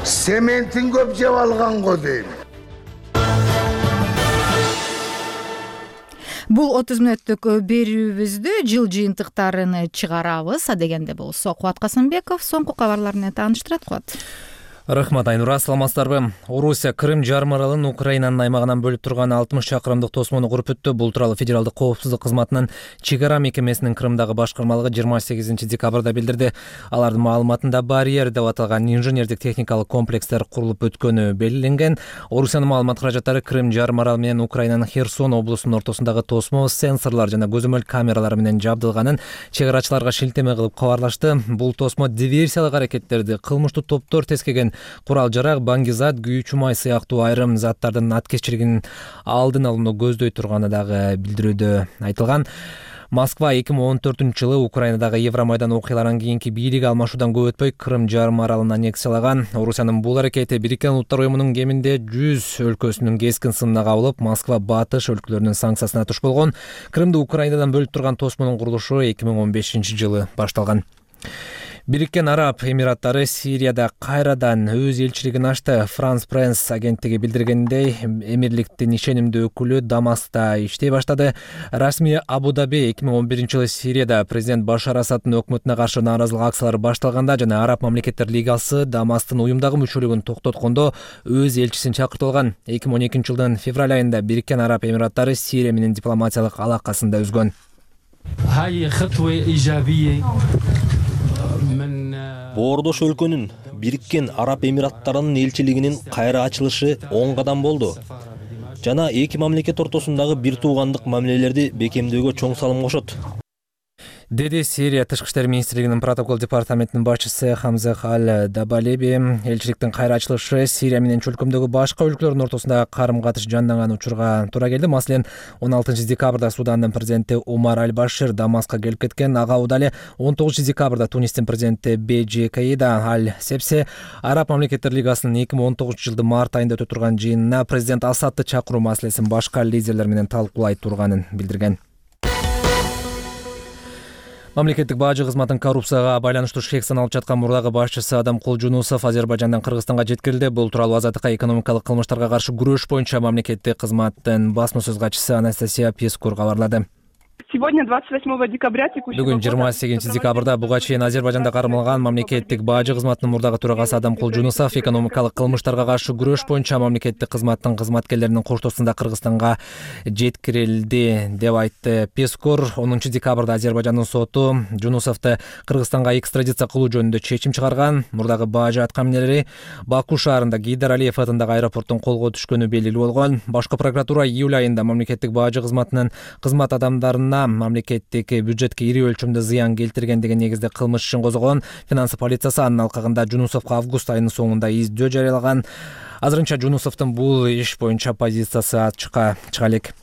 Сементин көп жеп алган го дейм.
Бул отуз мүнөттүк берүүбүздү жыл жыйынтыктарын чыгарабыз. Адегенде болсо Кубат Касымбеков соңку кабарлар менен тааныштырат. Кубат.
Рахмат, Айнура, саламатсыздарбы? Орусия Крым жарым аралын Украинанын аймагынан бөлүп турган алтымыш чакырымдык тосмону куруп өттү. Бул тууралуу Федералдык коопсуздук кызматынын чек ара мекемесинин Крымдагы башкармалыгы жыйырма сегизинчи декабрда билдирди. Алардын маалыматында барьер деп аталган инженердик техникалык комплекстер курулуп өткөнү белгиленген. Орусиянын маалымат каражаттары Крым жарым аралы менен Украинанын Херсон облусунун ортосундагы тосмо сенсорлор жана көзөмөл камералары менен жабдылганын чек арачыларга шилтеме кылып кабарлашты. Бул тосмо диверсиялык аракеттерди, кылмыштуу топтор тескеген курал жарак, баңгизат, күйүүчү май сыяктуу айрым заттардын аткезчилигинин алдын алууну көздөй турганы дагы билдирүүдө айтылган. Москва эки миң он төртүнчү жылы Украинадагы Евромайдан окуяларынан кийинки бийлик алмашуудан көп өтпөй Крым жарым аралын аннексиялаган. Орусиянын бул аракети Бириккен Улуттар уюмунун кеминде жүз өлкөсүнүн кескин сынына кабылып, Москва батыш өлкөлөрүнүн санкциясына туш болгон. Крымды Украинадан бөлүп турган тосмонун курулушу эки миң он бешинчи жылы башталган. Бириккен Араб Эмираттары Сирияда кайрадан өз элчилигин ачты. Франс Пресс агенттиги билдиргендей, эмирликтин ишенимдүү өкүлү Дамаскта иштей баштады. Расмий Абу-Даби эки миң он биринчи жылы Сирияда президент Башар Асаддын өкмөтүнө каршы нааразылык акциялары башталганда жана Араб мамлекеттер лигасы Дамасктын уюмдагы мүчөлүгүн токтоткондо өз элчисин чакыртып алган. эки миң он экинчи жылдын февраль айында Бириккен Араб Эмираттары Сирия менен дипломатиялык алакасын да үзгөн.
Боордош өлкөнүн Бириккен Араб Эмираттарынын элчилигинин кайра ачылышы оң кадам болду жана эки мамлекет ортосундагы бир туугандык мамилелерди бекемдөөгө чоң салым кошот,
деди Сирия Тышкы иштер министрлигинин протокол департаментинин башчысы Хамзех Аль-Дабалеби. Элчиликтин кайра ачылышы Сирия менен чөлкөмдөгү башка өлкөлөрдүн ортосундагы карым-катыш жанданган учурга туура келди. Маселен, он алтынчы декабрда Судандын президенти Умар Аль-Башир Дамаскка келип кеткен. Ага удале он тогузунчу декабрда Тунистин президенти Бежи Каида Аль-Сепсе Араб мамлекеттер лигасынын эки миң он тогузунчу жылдын март айында өтө турган жыйынына президент Асадты чакыруу маселесин башка лидерлер менен талкуулай турганын билдирген. Мамлекеттик бажы кызматынын коррупцияга байланыштуу шек саналып жаткан мурдагы башчысы Адамкул Жунусов Азербайжандан Кыргызстанга жеткирилди. Бул тууралуу Азаттыкка экономикалык кылмыштарга каршы күрөш боюнча мамлекеттик кызматтын басма сөз катчысы Анастасия Пескур кабарлады.
Сегодня двадцать восьмого декабря текущего
Бүгүн жыйырма сегизинчи декабрда буга чейин Азербайжанда кармалган мамлекеттик бажы кызматынын мурдагы төрагасы Адамкул Жунусов экономикалык кылмыштарга каршы күрөш боюнча мамлекеттик кызматтын кызматкерлеринин коштоосунда Кыргызстанга жеткирилди деп айтты Пескор. онунчу декабрда Азербайжандын соту Жунусовду Кыргызстанга экстрадиция кылуу жөнүндө чечим чыгарган. Мурдагы бажы аткаминерлери Баку шаарында Гейдар Алиев атындагы аэропорттун колго түшкөнү белгилүү болгон. Башкы прокуратура июль айында мамлекеттик бажы кызматынын кызмат адамдарына мамлекеттик бюджетке ири өлчөмдө зыян келтирген деген негизде кылмыш ишин козгогон. Финансы полициясы анын алкагында Жунусовго август айынын соңунда издөө жарыялаган. Азырынча Жунусовдун бул иш боюнча позициясы ачыкка чыга элек.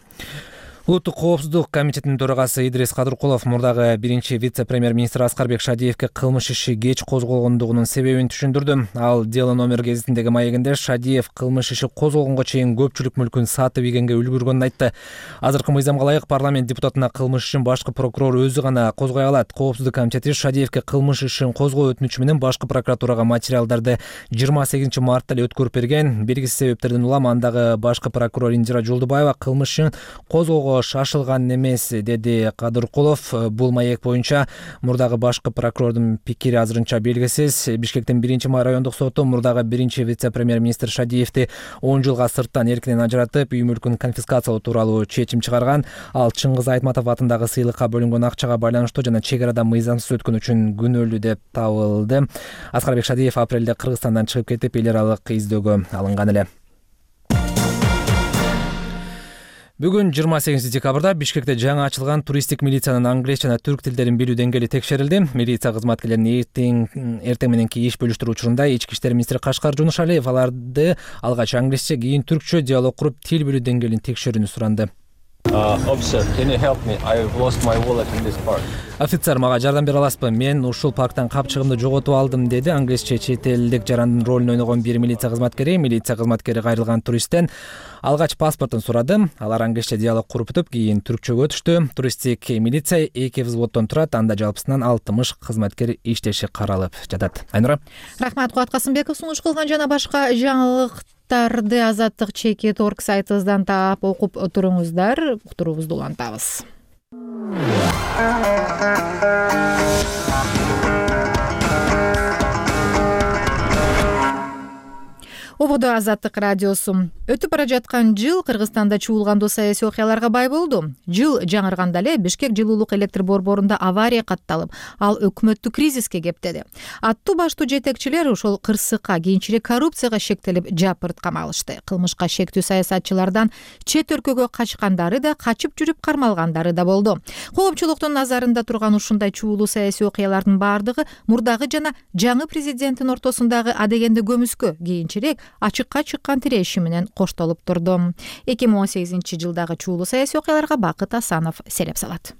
Улуттук коопсуздук комитетинин төрагасы Идрис Кадыркулов мурдагы биринчи вице-премьер-министр Аскарбек Шадиевге кылмыш иши кеч козголгондугунун себебин түшүндүрдү. Ал Дело номер гезитиндеги маегинде Шадиев кылмыш иши козголгонго чейин көпчүлүк мүлкүн сатып ийгенге үлгүргөнүн айтты. Азыркы мыйзамга ылайык парламент депутатына кылмыш ишин башкы прокурор өзү гана козгой алат. Коопсуздук комитети Шадиевге кылмыш ишин козгоо өтүнүчү менен башкы прокуратурага материалдарды жыйырма сегизинчи мартта эле өткөрүп берген. Белгисиз себептерден улам андагы башкы прокурор Индира Жолдубаева кылмыш ишин козгоого шашылган эмес, деди Кадыркулов. Бул маек боюнча мурдагы башкы прокурордун пикири азырынча белгисиз. Бишкектин биринчи райондук соту мурдагы биринчи вице-премьер-министр Шадиевди он жылга сырттан эркинен ажыратып, үй мүлкүн конфискациялоо тууралуу чечим чыгарган. Ал Чыңгыз Айтматов атындагы сыйлыкка бөлүнгөн акчага байланыштуу жана чек арада мыйзамсыз өткөн үчүн күнөөлүү деп табылды. Аскарбек Шадиев апрелде Кыргызстандан чыгып кетип, эл аралык издөөгө алынган эле. Бүгүн жыйырма сегизинчи декабрда Бишкекте жаңы ачылган туристтик милициянын англис жана түрк тилдерин билүү деңгээли текшерилди. Милиция кызматкерлеринин эртең эртең мененки иш бөлүштүрүү учурунда Ички иштер министри Кашкар Жунушалиев аларды алгач англисче, кийин түркчө диалог куруп тил билүү деңгээлин текшерүүнү суранды. Офицер, мага жардам бере аласызбы? Мен ушул парктан капчыгымды жоготуп алдым, деди англисче чет элдик жарандын ролун ойногон бир милиция кызматкери. Милиция кызматкери кайрылган туристтен алгач паспортун сурады. Алар англисче диалог куруп өтүп, кийин түркчөгө өтүштү. Туристтик милиция эки взводдон турат, анда жалпысынан алтымыш кызматкер иштеши каралып жатат. Айнура.
Рахмат, Кубат Касымбеков сунуш кылган жана башка жаңылык Тарды азаттык чекит орг сайтыбыздан таап окуп туруңуздар. Уктуруубузду улантабыз. Ободо Азаттык радиосу. Өтүп бара жаткан жыл Кыргызстанда чуулгандуу саясий окуяларга бай болду. Жыл жаңырганда эле Бишкек жылуулук электр борборунда авария катталып, ал өкмөттү кризиске кептеди. Аттуу баштуу жетекчилер ошол кырсыкка, кийинчерээк коррупцияга шектелип, жапырт камалышты. Кылмышка шектүү саясатчылардан чет өлкөгө качкандары да, качып жүрүп кармалгандары да болду. Коопчулуктун назарында турган ушундай чуулуу саясий окуялардын бардыгы мурдагы жана жаңы президенттин ортосундагы адегенде көмүскө, кийинчерээк ачыкка чыккан тиреши менен коштолуп турду. эки миң он сегизинчи жылдагы чуулуу саясий окуяларга Бакыт Асанов сереп салат.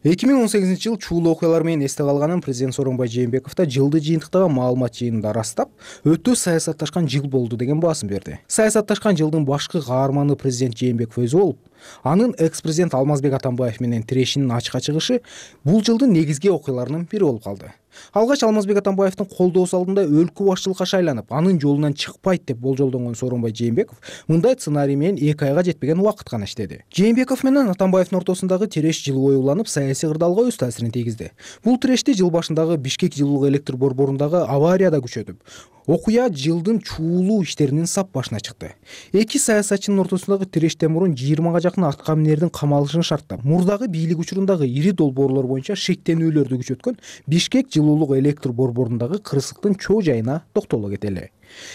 эки миң он сегизинчи жыл чуулуу окуялар менен эсте калганын президент Сооронбай Жээнбеков да жылды жыйынтыктагы маалымат жыйынында ырастап, өтө саясатташкан жыл болду деген баасын берди. Саясатташкан жылдын башкы каарманы президент Жээнбеков өзү болуп, анын экс-президент Алмазбек Атамбаев менен тирешинин ачыкка чыгышы бул жылдын негизги окуяларынын бири болуп калды. Алгач Алмазбек Атамбаевдин колдоосу алдында өлкө башчылыкка шайланып, анын жолунан чыкпайт деп болжолдонгон Сооронбай Жээнбеков мындай сценарий менен эки айга жетпеген убакыт гана иштеди. Жээнбеков менен Атамбаевдин ортосундагы тиреш жыл бою уланып, саясий кырдаалга өз таасирин тийгизди. Бул тирешти жыл башындагы Бишкек жылуулук электр борборундагы аварияда күчөтүп, окуя жылдын чуулуу иштеринин сап башына чыкты. Эки саясатчынын ортосундагы тирештен мурун жыйырмага жакын атка минердин камалышын шарттап, мурдагы бийлик учурундагы ири долбоорлор боюнча шектенүүлөрдү күчөткөн Бишкек жылуулук электр борборундагы кырсыктын чоо жайына токтоло кетели.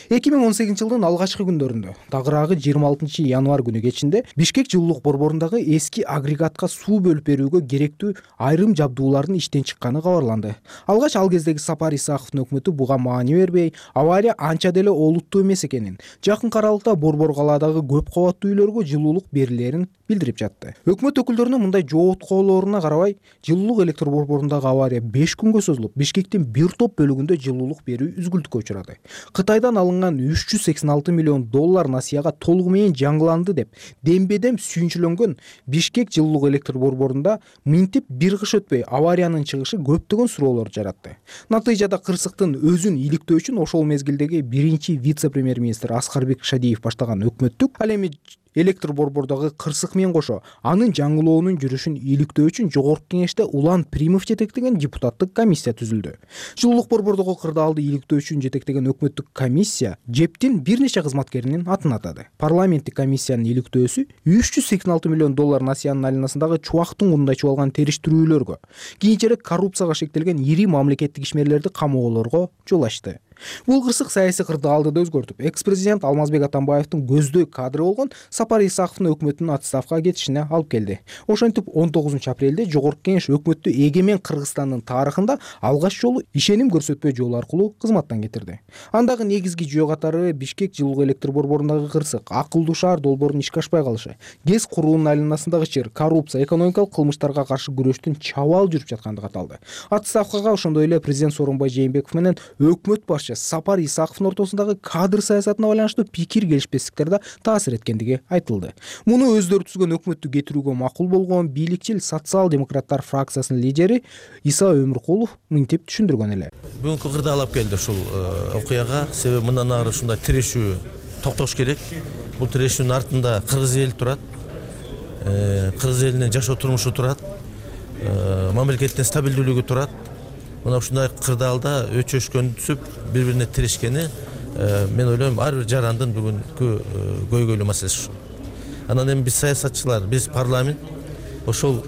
эки миң он сегизинчи жылдын алгачкы күндөрүндө, тагыраагы жыйырма алтынчы январь күнү кечинде Бишкек жылуулук борборундагы эски агрегатка суу бөлүп берүүгө керектүү айрым жабдуулардын иштен чыкканы кабарланды. Алгач ал кездеги Сапар Исаковдун өкмөтү буга маани бербей, авария анча деле олуттуу эмес экенин, жакын аралыкта борбор калаадагы көп кабаттуу үйлөргө жылуулук берилерин билдирип жатты. Өкмөт өкүлдөрүнүн мындай жооткоолоруна карабай, жылуулук электр борборундагы авария беш күнгө созулуп, Бишкектин бир топ бөлүгүндө жылуулук берүү үзгүлтүккө учурады. Кытайдан алынган үч жүз сексен алты миллион доллар насыяга толугу менен жаңыланды деп дембедем сүйүнчүлөнгөн Бишкек жылуулук электр борборунда минтип бир кыш өтпөй авариянын чыгышы көптөгөн суроолорду жаратты. Натыйжада кырсыктын өзүн иликтөө үчүн ошол мезгилдеги биринчи вице-премьер-министр Аскарбек Шадиев баштаган өкмөттүк, ал эми электр борбордогу кырсык менен кошо анын жаңылоонун жүрүшүн иликтөө үчүн жогорку кеңеште Улан Примов жетектеген депутаттык комиссия түзүлдү. Жылуулук борбордогу кырдаалды иликтөө үчүн жетектеген өкмөттүк комиссия ЖЭПтин бир нече кызматкеринин атын атады. Парламенттик комиссиянын иликтөөсү үч жүз сексен алты миллион доллар насыянын айланасындагы чубактын кунунда чубалган териштирүүлөргө, кийинчерээк коррупцияга шектелген ири мамлекеттик ишмерлерди камоолорго жол ачты. Бул кырсык саясий кырдаалды да өзгөртүп, экс президент Алмазбек Атамбаевдин көздөй кадры болгон Сапар Исаковдун өкмөтүнүн отставкага кетишине алып келди. Ошентип он тогузунчу апрелде Жогорку Кеңеш өкмөттү эгемен Кыргызстандын тарыхында алгач жолу ишеним көрсөтпөө жол аркылуу кызматтан кетирди. Андагы негизги жөө катары Бишкек жылуу электр борборундагы кырсык, акылдуу шаар долбоорунун ишке ашпай калышы, ГЭС куруунун айланасындагы чыр, коррупция, экономикалык кылмыштарга каршы күрөштүн чабаал жүрүп жаткандыгы аталды. Отставкага ошондой эле президент Сооронбай Жээнбеков менен өкмөт башчы Сапар Исаковдун ортосундагы кадр саясатына байланыштуу пикир келишпестиктер да таасир эткендиги айтылды. Муну өздөрү түзгөн өкмөттү кетирүүгө макул болгон бийликчил социал-демократтар фракциясынын лидери Иса Өмүркулов мынтип түшүндүргөн эле.
Бүгүнкү кырдаал алып келди ушул окуяга. Себеби мындан ары ушундай тирешүү токтош керек. Бул тирешүүнүн артында кыргыз эли турат. Кыргыз элинин жашоо турмушу турат. Мамлекеттин стабилдүүлүгү турат. Мына ушундай кырдаалда өчөшкөн түсүп, бири-бирине тирешкени мен ойлойм ар бир жарандын бүгүнкү көйгөйлүү маселеси ушул. Анан эми биз саясатчылар, биз парламент ошол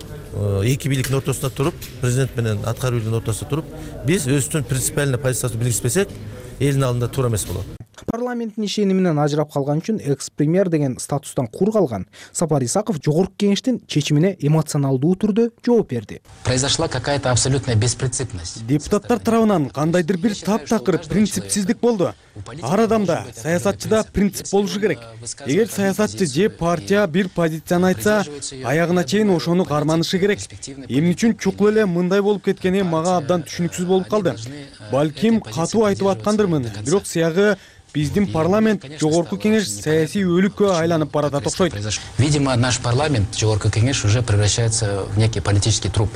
эки бийликтин ортосунда туруп, президент менен аткаруу бийлигинин ортосунда туруп, биз өзүбүздүн принципиальный позицияны белгилеспесек, элдин алдында туура эмес болот.
Парламенттин ишениминен ажырап калган үчүн экс-премьер деген статустан кур калган Сапар Исаков Жогорку Кеңештин чечимине эмоционалдуу түрдө жооп берди.
Произошла какая-то абсолютная беспринципность.
Депутаттар тарабынан кандайдыр бир таптакыр принципсиздик болду. Ар адамда, саясатчыда принцип болушу керек. Эгер саясатчы же партия бир позицияны айтса, аягына чейин ошону карманышы керек. Эмне үчүн чукул эле мындай болуп кеткени мага абдан түшүнүксүз болуп калды. Балким катуу айтып аткандырмын, бирок сыягы биздин парламент, Жогорку Кеңеш саясий өлүккө айланып баратат окшойт.
Видимо, наш парламент, Жогорку Кеңеш, уже превращается в некий политический труп.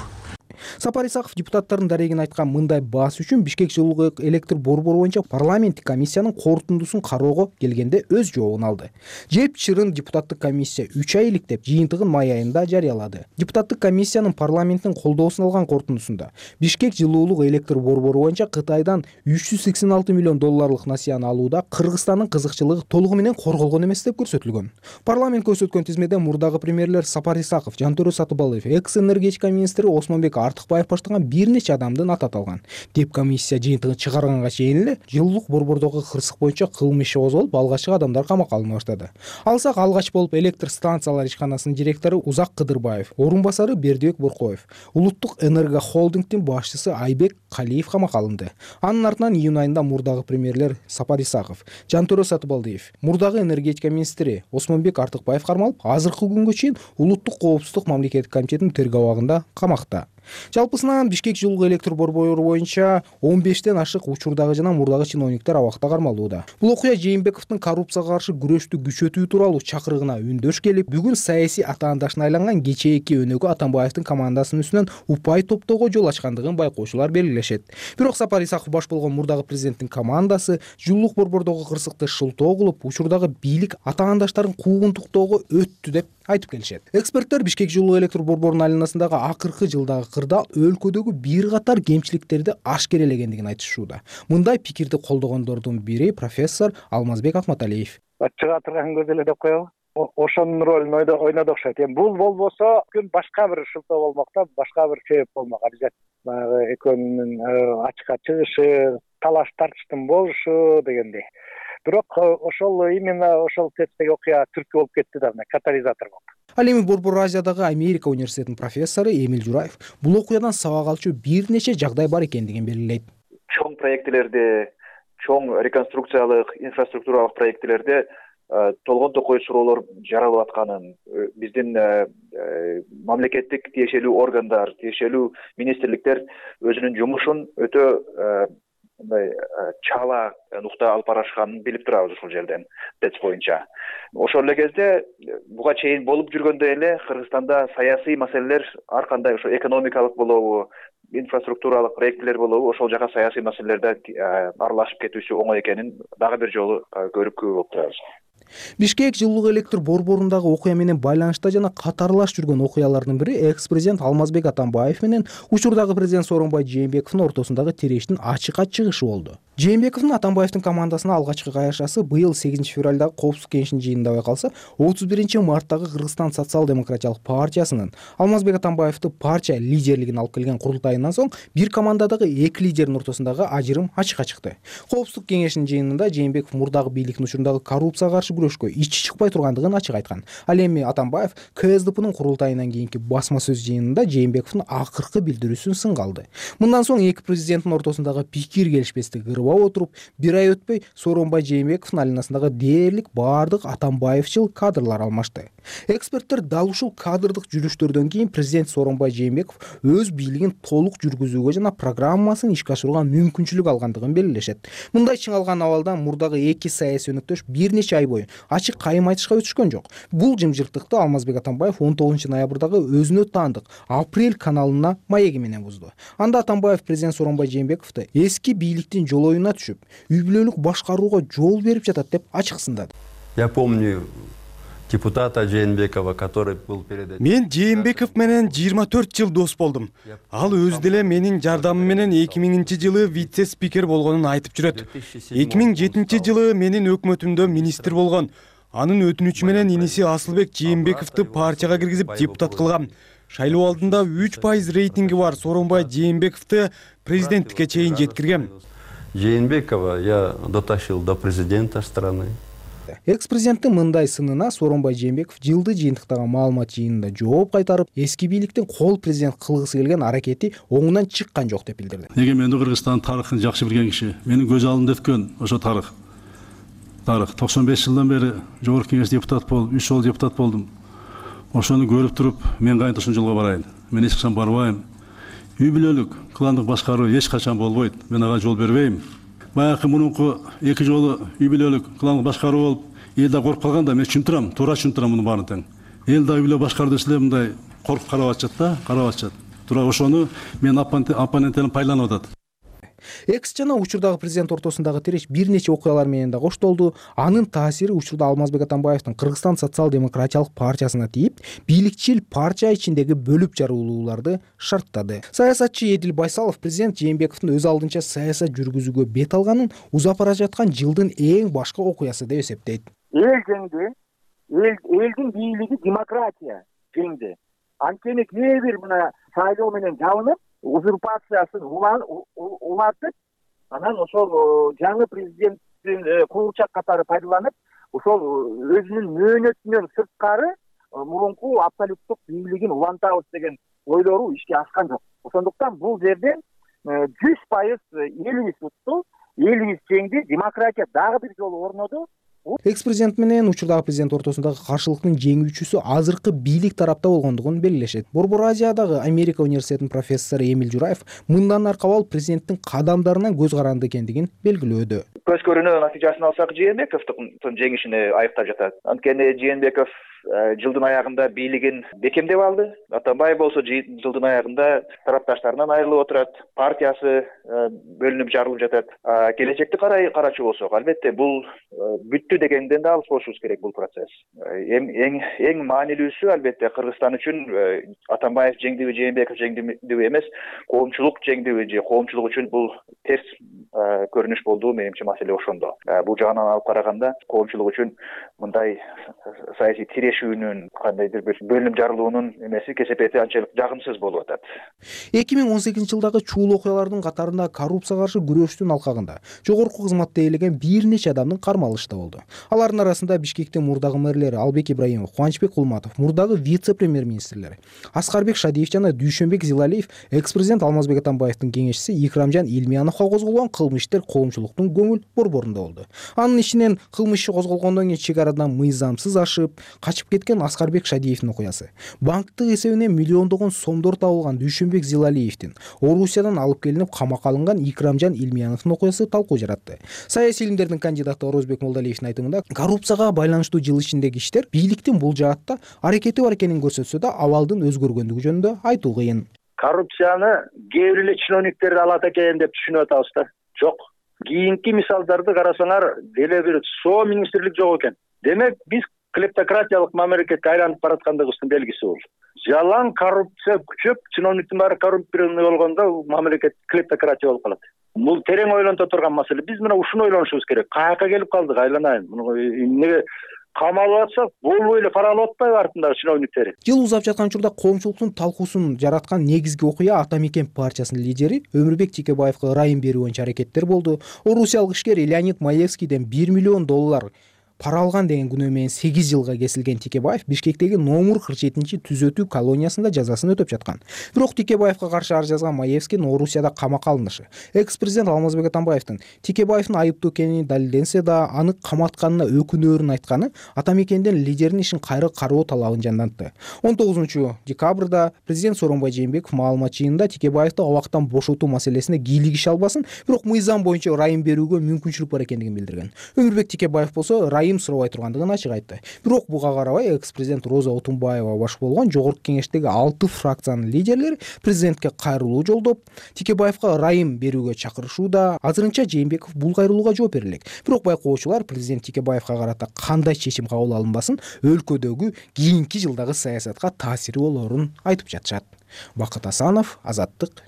Сапар Исаков депутаттардын дарегин айткан мындай баас үчүн Бишкек жылуу электр борбору боюнча парламенттик комиссиянын корутундусун кароого келгенде өз жообун алды. Жеп чырын депутаттык комиссия үч ай иликтеп, жыйынтыгын май айында жарыялады. Депутаттык комиссиянын парламенттин колдоосун алган корутундусунда Бишкек жылуулук электр борбору боюнча Кытайдан үч жүз сексен алты миллион долларлык насыяны алууда Кыргызстандын кызыкчылыгы толугу менен корголгон эмес деп көрсөтүлгөн. Парламент көрсөткөн тизмеде мурдагы премьерлер Сапар Исаков, Жантөрө Сатыбалыев, экс-энергетика министри Осмонбек Артыкбаев баштаган бир нече адамдын аты аталган. Деп комиссия жыйынтыгын чыгарганга чейин эле жылуулук борбордогу кырсык боюнча кылмыш иши козголуп, алгачкы адамдар камакка алына баштады. Алсак алгач болуп электр станциялар ишканасынын директору Узак Кыдырбаев, орун басары Бердибек Боркоев, Улуттук энерго холдингдин башчысы Айбек Калиев камакка алынды. Анын артынан июнь айында мурдагы премьерлер Сапар Исаков, Жантөрө Сатыбалдиев, мурдагы энергетика министри Осмонбек Артыкбаев кармалып, азыркы күнгө чейин Улуттук коопсуздук мамлекеттик комитетинин тергөө абагында камакта. Жалпысынан Бишкек жылуу электр борбору боюнча он бештен ашык учурдагы жана мурдагы чиновниктер абакта кармалууда. Бул окуя Жээнбековдун коррупцияга каршы күрөштү күчөтүү тууралуу чакырыгына үндөш келип, бүгүн саясий атаандашына айланган кечээки өнөгө Атамбаевдин командасынын үстүнөн упай топтоого жол ачкандыгын байкоочулар белгилешет. Бирок Сапар Исаков баш болгон мурдагы президенттин командасы жылуулук борбордогу кырсыкты шылтоо кылып, учурдагы бийлик атаандаштарын куугунтуктоого өттү деп айтып келишет. Эксперттер Бишкек жылуу электр борборунун айланасындагы акыркы жылдагы кырдаал өлкөдөгү бир катар кемчиликтерди ашкерелегендигин айтышууда. Мындай пикирди колдогондордун бири профессор Алмазбек Акматалиев.
Чыга турган көз эле деп коелу. Ошонун ролун ойноду окшойт. Эми бул болбосо күн башка бир шылтоо болмок да, башка бир себеп болмок. Обязательно баягы экөөнүн ачыкка чыгышы, талаш тартыштын болушу дегендей. Бирок ошол именно ошол тесттеги окуя түрткү болуп кетти да, катализатор болду.
Ал эми Борбор Азиядагы Америка университетинин профессору Эмил Жураев бул окуядан сабак алчу бир нече жагдай бар экендигин белгилейт.
Чоң проектилерде, чоң реконструкциялык, инфраструктуралык проектилерде толгон токой суроолор жаралып атканын, биздин мамлекеттик тиешелүү органдар, тиешелүү министрликтер өзүнүн жумушун өтө мындай чала нукта алып барышканын билип турабыз ушул жерден ТЭЦ боюнча. Ошол эле кезде буга чейин болуп жүргөндөй эле Кыргызстанда саясий маселелер ар кандай ошо экономикалык болобу, инфраструктуралык проектилер болобу, ошол жака саясий маселелерде аралашып кетүүсү оңой экенин дагы бир жолу көрүп күбө болуп турабыз.
Бишкек жылуу электр борборундагы окуя менен байланышта жана катарлаш жүргөн окуялардын бири экс-президент Алмазбек Атамбаев менен учурдагы президент Сооронбай Жээнбековдун ортосундагы тирештин ачыкка чыгышы болду. Жээнбековдун Атамбаевдин командасына алгачкы кайрышасы быйыл сегизинчи февралдагы Коопсуздук кеңешинин жыйынында байкалса, отуз биринчи марттагы Кыргызстан социал-демократиялык партиясынын Алмазбек Атамбаевди партия лидерлигине алып келген курултайынан соң бир командадагы эки лидердин ортосундагы ажырым ачыкка чыкты. Коопсуздук кеңешинин жыйынында Жээнбеков мурдагы бийликтин учурундагы коррупцияга каршы күрөшкө ичи чыкпай тургандыгын ачык айткан. Ал эми Атамбаев КСДПнын курултайынан кийинки басма сөз жыйынында Жээнбековдун акыркы билдирүүсүн сынга алды. Мындан соң эки президенттин ортосундагы пикир келишпестик ырбап отуруп, бир ай өтпөй Сооронбай Жээнбековдун алинасындагы дээрлик баардык Атамбаевчыл кадрлар алмашты. Эксперттер дал ушул кадрдык жүрүштөрдөн кийин президент Сооронбай Жээнбеков өз бийлигин толук жүргүзүүгө жана программасын ишке ашырууга мүмкүнчүлүк алгандыгын белгилешет. Мындай чыңалган абалдан мурдагы эки саясий өнөктөш бир нече ай бою ачык кайым айтышка өтүшкөн жок. Бул жымжырттыкты Алмазбек Атамбаев он тогузунчу ноябрдагы өзүнө таандык Апрель каналына маеги менен бузду. Анда Атамбаев президент Сооронбай Жээнбековду эски бийликтин жолоюна түшүп, үй бүлөлүк башкарууга жол берип жатат деп ачык сындады.
Я помню депутата Жээнбекова, который был перед этим.
Мен Жээнбеков менен жыйырма төрт жыл дос болдум. Ал өзү деле менин жардамым менен эки миңинчи жылы вице-спикер болгонун айтып жүрөт. эки миң жетинчи жылы менин өкмөтүмдө министр болгон. Анын өтүнүчү менен иниси Асылбек Жээнбековду партияга киргизип депутат кылган. Шайлоо алдында үч пайыз рейтинги бар Сооронбай Жээнбековду президенттикке чейин жеткирген.
Жээнбекова я дотащил до президента страны.
Экс-президенттин мындай сынына Сооронбай Жээнбеков жылды жыйынтыктагы маалымат жыйынында жооп кайтарып, эски бийликтин кол президент кылгысы келген аракети оңунан чыккан жок деп билдирди.
Эгемендүү Кыргызстан тарыхын жакшы билген киши, менин көз алдымда өткөн ошо тарых. Тарых токсон беш жылдан бери жогорку кеңеш депутат болуп, үч жолу депутат болдум. Ошону көрүп туруп, мен кайын ушул жолго барайын. Мен эч качан барбайм. Үй бүлөлүк, кландык башкаруу эч качан болбойт. Мен ага жол бербейм. Баягы мурунку эки жолу үй бүлөлүк, кландык башкаруу болуп, эл да коркуп калганда мен түшүндүрөм, туура түшүндүрөм муну баарын тең. Эл да үй бүлө башкаруу десе мындай коркуп карап атышат да, карап атышат. Тура ошону мен оппоненттерим пайланып атат.
Экс жана учурдагы президент ортосундагы тиреш бир нече окуялар менен да коштолду. Анын таасири учурда Алмазбек Атамбаевдин Кыргызстан социал-демократиялык партиясына тийип, бийликчил партия ичиндеги бөлүп жаруулууларды шарттады. Саясатчы Эдил Байсалов президент Жээнбековдун өз алдынча саясат жүргүзүүгө бет алганын узап бара жаткан жылдын эң башкы окуясы деп эсептейт.
Эл жеңди, элдин бийлиги демократия жеңди. Анткени кээ бир мына шайлоо менен жабынып, узурпациясын улатып, анан ошол жаңы президенттин куурчак катары пайдаланып, ошол өзүнүн мөөнөтүнөн сырткары мурунку абсолюттук бийлигин улантабыз деген ойлору ишке ашкан жок. Ошондуктан бул жерден жүз пайыз элибиз утту, элибиз жеңди, демократия дагы бир жолу орноду.
Экс-президент менен учурдагы президент ортосундагы каршылыктын жеңүүчүсү азыркы бийлик тарапта болгондугун белгилешет. Борбор Азиядагы Америка университетинин профессору Эмил Жураев мындан аркабал президенттин кадамдарынан көз каранды экендигин белгилөөдө.
Көз көрүнүү натыйжасын алсак, Жээнбековдун жеңишине айыптап жатат. Анткени Жээнбеков жылдын аягында бийлигин бекемдеп алды. Атамбаев болсо жылдын аягында тарапташтарынан айрылып отурат, партиясы бөлүнүп жарылып жатат. Келечекти карай карачу болсок, албетте бул бүттү дегенден да алыс болушубуз керек бул процесс. Эң эң эң маанилүүсү албетте Кыргызстан үчүн Атамбаев жеңдиби, Жээнбеков жеңдиби эмес, коомчулук жеңдиби же коомчулук үчүн бул терс көрүнүш болду. Менимче маселе ошондо. Бул жагынан алып караганда коомчулук үчүн мындай саясий тирешүүнүн, кандайдыр бир бөлүнүп жарылуунун эмеси кесепети анчалык жагымсыз болуп атат.
эки миң он сегизинчи жылдагы чуул окуялардын катарында коррупцияга каршы күрөштүн алкагында жогорку кызматта ээлеген бир нече адамдын кармалышы да болду. Алардын арасында Бишкектин мурдагы мэрлери Албек Ибраимов, Кубанычбек Кулматов, мурдагы вице-премьер-министрлери Аскарбек Шадиев жана Дүйшөнбек Зилалиев, экс-президент Алмазбек Атамбаевдин кеңешчиси Икрамжан Илмияновго козголгон кылмыш иштер коомчулуктун көңүл борборунда болду. Анын ичинен кылмыш иши козголгондон кийин чек арадан мыйзамсыз ашып, качып кеткен Аскарбек Шадиевдин окуясы, банктык эсебинен миллиондогон сомдор табылган Дүйшөнбек Зилалиевдин Орусиядан алып келинип камакка алынган Икрамжан Илмияновдун окуясы талкуу жаратты. Саясий илимдердин кандидаты Орозбек Молдалиевдин айтымында, коррупцияга байланыштуу жыл ичиндеги иштер бийликтин бул жаатта аракети бар экенин көрсөтсө да, абалдын өзгөргөндүгү жөнүндө айтуу кыйын.
Коррупцияны кээ бир эле чиновниктер алат экен деп түшүнүп атабыз да. Жок. Кийинки мисалдарды карасаңар, деле бир соо министрлик жок экен. Демек, биз клептократиялык мамлекетке айланып бараткандыгыбыздын белгиси бул. Жалаң коррупция күчөп, чиновниктин баары коррумпированный болгондо мамлекет клептократия болуп калат. бул терең ойлонто турган маселе. Биз мына ушуну ойлонушубуз керек. Каяка келип калдык, айланайын. Муну эмнеге камалып атсак, болбой эле пара алып атпайбы артындагы чиновниктери?
Жыл узап жаткан учурда коомчулуктун талкуусун жараткан негизги окуя Ата Мекен партиясынын лидери Өмүрбек Текебаевга ырайым берүү боюнча аракеттер болду. Орусиялык ишкер Леонид Маевскийден бир миллион доллар пара алган деген күнөө менен сегиз жылга кесилген Текебаев Бишкектеги Номур кырк жетинчи түзөтүү колониясында жазасын өтөп жаткан. Бирок Текебаевга каршы ар жазган Маевскийдин Орусияда камакка алынышы, экс-президент Алмазбек Атамбаевдин Текебаевдин айыптуу экени далилденсе да, аны каматканына өкүнөөрүн айтканы Ата Мекенден лидердин ишин кайра кароо талабын жандантты. он тогузунчу декабрда президент Сооронбай Жээнбеков маалымат жыйынында Текебаевди абактан бошотуу маселесине кийлигише албасын, бирок мыйзам боюнча ырайым берүүгө мүмкүнчүлүк бар экендигин билдирген. Өмүрбек Текебаев болсо ырайым сурабай тургандыгын ачык айтты. Бирок буга карабай экс-президент Роза Отунбаева баш болгон жогорку кеңештеги алты фракциянын лидерлери президентке кайрылуу жолдоп, Текебаевга ырайым берүүгө чакырышууда. Азырынча Жээнбеков бул кайрылууга жооп бере элек. Бирок байкоочулар президент Текебаевга карата кандай чечим кабыл алынбасын, өлкөдөгү кийинки жылдагы саясатка таасири болоорун айтып жатышат. Бакыт Асанов, Азаттык.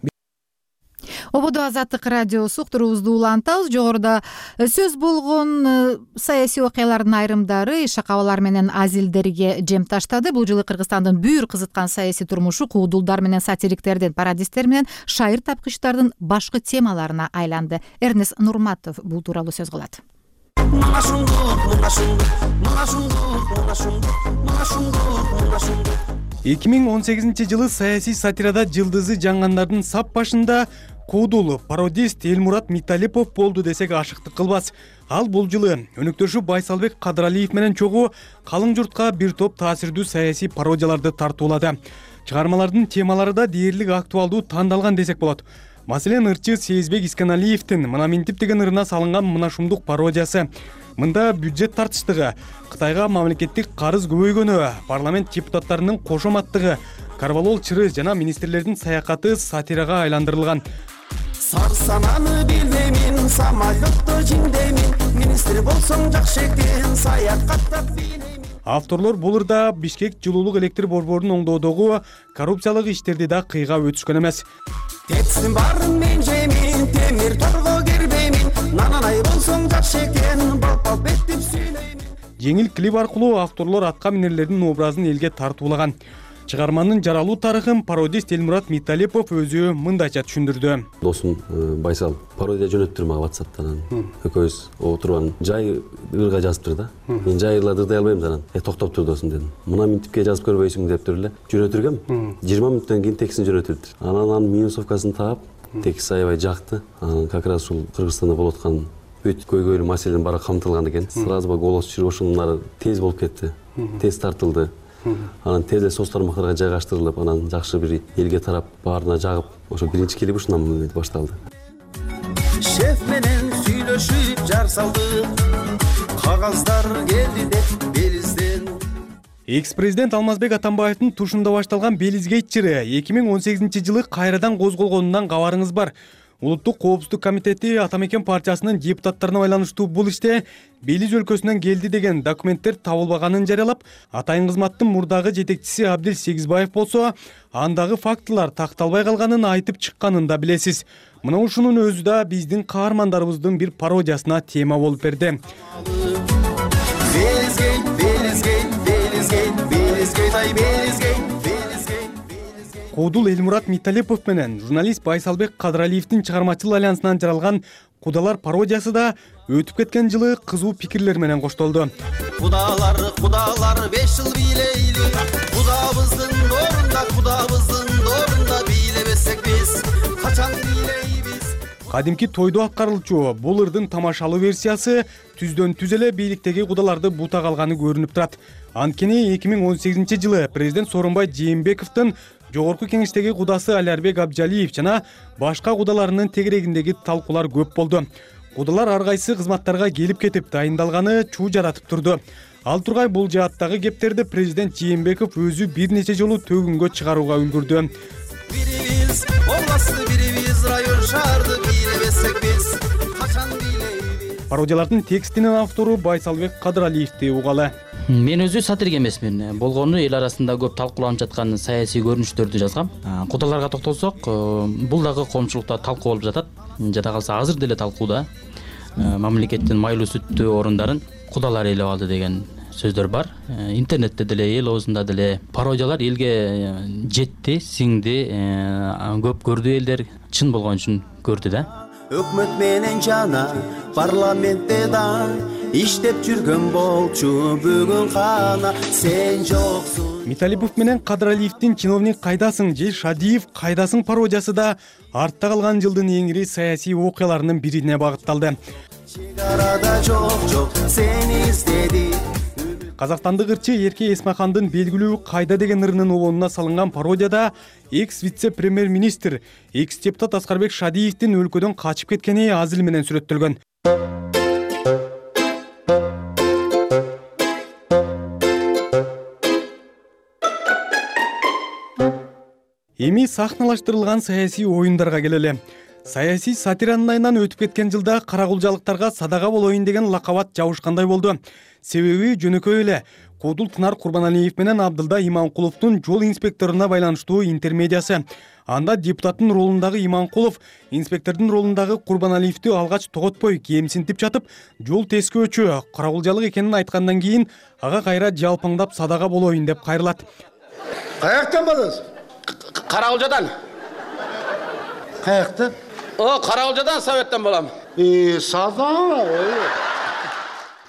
Ободо Азаттык радиосу уктуруубузду улантабыз. Жогоруда сөз болгон саясий окуялардын айрымдары шакабалар менен азилдерге жем таштады. Бул жылы Кыргызстандын бүйүр кызыткан саясий турмушу куудулдар менен сатириктердин, пародисттер менен шайыр тапкычтардын башкы темаларына айланды. Эрнест Нурматов бул тууралуу сөз кылат.
эки миң он сегизинчи жылы саясий сатирада жылдызы жангандардын сап башында куудул пародист Элмурат Миталипов болду десек ашыктык кылбас. Ал бул жылы өнөктөшү Байсалбек Кадралиев менен чогуу калың журтка бир топ таасирдүү саясий пародияларды тартуулады. Чыгармалардын темалары да дээрлик актуалдуу тандалган десек болот. Маселен, ырчы Сезбек Исканалиевдин Мына Минтип деген ырына салынган Мына Шумдук пародиясы. Мында бюджет тартыштыгы, Кытайга мамлекеттик карыз көбөйгөнү, парламент депутаттарынын кошоматтыгы, Карвалол чыры жана министрлердин саякаты сатирага айландырылган.
Сарсананы билдемин, самолетто жиңдемин, министр болсоң жакшы экен, саякаттап билемин.
Авторлор бул ырда Бишкек жылуулук электр борборунун оңдоодогу коррупциялык иштерди да кыйга өтүшкөн эмес.
Тетсин барын мен жемин, темир торго кирбеймин, нананай болсоң жакшы экен, балпал беттип сүйлөймүн.
Жеңил клип аркылуу авторлор атка минерлердин образын элге тартуулаган. Чыгарманын жаралуу тарыхын пародист Элмурат Миталипов өзү мындайча түшүндүрдү.
Досум Байсал пародия жөнөттүр мага WhatsApp'тан. Экөөбүз отурган жай ырга жазыптыр да. Мен жай ырларды ырдай албайм анан. Э токтоп тур досум дедим. Мына Минтипке жазып көрбөйсүң дептир эле. Жөнөтүргөм. жыйырма мүнөттөн кийин текстин жөнөтүлдү. Анан анын минусовкасын таап, текст аябай жакты. Анан как раз ушул Кыргызстанда болуп аткан өтө көйгөйлүү маселенин баары камтылган экен. Сразу ба голос чыгып ошонун тез болуп кетти. Тез тартылды. Анан тез эле соц тармактарга жайгаштырылып, анан жакшы бир элге тарап баарына жагып, ошо биринчи клип ушундан башталды.
Шеф менен сүйлөшүп жар салдык, кагаздар келди деп белизден.
Экс-президент Алмазбек Атамбаевдин тушунда башталган Белизгейт чыры эки миң он сегизинчи жылы кайрадан козголгонунан кабарыңыз бар. Улуттук коопсуздук комитети Ата Мекен партиясынын депутаттарына байланыштуу бул иште Белиз өлкөсүнөн келди деген документтер табылбаганын жарыялап, атайын кызматтын мурдагы жетекчиси Абдил Сегизбаев болсо, андагы фактылар такталбай калганын айтып чыкканын да билесиз. Мына ушунун өзү да биздин каармандарыбыздын бир пародиясына тема болуп берди.
Белизгейт, Белизгейт, Белизгейт, Белизгейт, ай Белизгейт.
Куудул Элмурат Миталипов менен журналист Байсалбек Кадралиевдин чыгармачыл альянсынан жаралган Кудалар пародиясы да өтүп кеткен жылы кызуу пикирлер менен коштолду.
Кудалар, кудалар беш жыл бийлейли, кудабыздын орунда, кудабыздын орунда бийлебесек биз, качан бийлейбиз.
Кадимки тойдо аткарылчу бул ырдын тамашалуу версиясы түздөн түз эле бийликтеги кудаларды бута калганы көрүнүп турат. Анткени эки миң он сегизинчи жылы президент Сооронбай Жээнбековдун жогорку кеңештеги кудасы Алярбек Абжалиев жана башка кудаларынын тегерегиндеги талкуулар көп болду. Кудалар ар кайсы кызматтарга келип кетип дайындалганы чуу жаратып турду. Ал тургай бул жааттагы кептерди президент Жээнбеков өзү бир нече жолу төгүнгө чыгарууга үлгүрдү.
Бирибиз областты, бирибиз район шаарды бийлебесек биз, качан бийлейбиз.
Пародиялардын текстинин автору Байсалбек Кадралиевди угалы.
Мен өзү сатирик эмесмин. Болгону эл арасында көп талкууланып жаткан саясий көрүнүштөрдү жазгам. Кудаларга токтолсок, бул дагы коомчулукта талкуу болуп жатат. Жада калса азыр деле талкууда. Мамлекеттин майлуу сүттүү орундарын кудалар ээлеп алды деген сөздөр бар. Интернетте деле, эл оозунда деле пародиялар элге жетти, сиңди, көп көрдү элдер, чын болгон үчүн көрдү да.
Өкмөт менен жана парламентте да иштеп жүргөн болчу бүгүн кана сен жоксуң.
Миталипов менен Кадыралиевдин чиновник кайдасың же Шадиев кайдасың пародиясы да артта калган жылдын эң ири саясий окуяларынын бирине багытталды.
Чегарада жок жок сени издеди.
Казакстандык ырчы Эрке Эсмахандын белгилүү кайда деген ырынын улонуна салынган пародияда экс вице-премьер-министр, экс депутат Аскарбек Шадиевдин өлкөдөн качып кеткени аз эл менен сүрөттөлгөн. Эми сахналаштырылган саясий оюндарга келели. Саясий сатиранын айынан өтүп кеткен жылда каракулжалыктарга садага болоюн деген лакабат жабышкандай болду. Себеби жөнөкөй эле Куудул Тынар Курбаналиев менен Абдылда Иманкуловдун жол инспекторуна байланыштуу интермедиясы. Анда депутаттын ролундагы Иманкулов инспектордун ролундагы Курбаналиевди алгач тоготпой кемсинтип жатып, жол тескөөчү, каракулжалык экенин айткандан кийин ага кайра жалпаңдап садага болоюн деп кайрылат.
Каяктан болосуз?
Каракулжадан.
Каяктан?
О, Каракулжадан советтен болам.
Э, сада.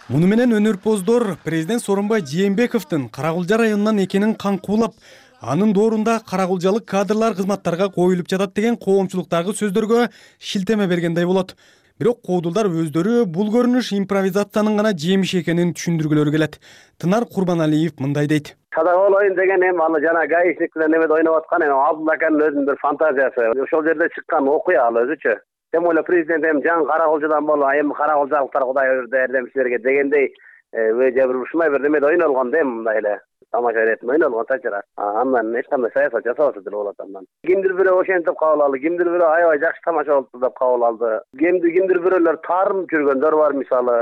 Муну менен өнөрпоздор президент Сооронбай Жээнбековдун Каракулжа районунан экенин каңкуулап, анын доорунда каракулжалык кадрлар кызматтарга коюлуп жатат деген коомчулуктагы сөздөргө шилтеме бергендей болот. Бирок куудулдар өздөрү бул көрүнүш импровизациянын гана жемиши экенин түшүндүргүлөрү келет. Тынар Курбаналиев мындай дейт.
Садага болоюн деген эми аны жана гаишник менен немеде ойноп аткан эми Абдулла аканын өзүнүн бир фантазиясы. Ошол жерде чыккан окуя ал өзүчө. Тем эле президент эми жаңы Каракулжадан болуп, эми каракулжалыктар Кудай өрдү эрдемчилерге дегендей өжө бир ушундай бир немеде ойнолгон да эми мындай эле тамаша иретип ойнолгон тачыра. Андан эч кандай саясат жасабаса деле болот андан. Кимдир бирөө ошентип кабыл алды, кимдир бирөө аябай жакшы тамаша болуптур деп кабыл алды. Кимдир кимдир бирөөлөр таарынып жүргөндөр бар, мисалы,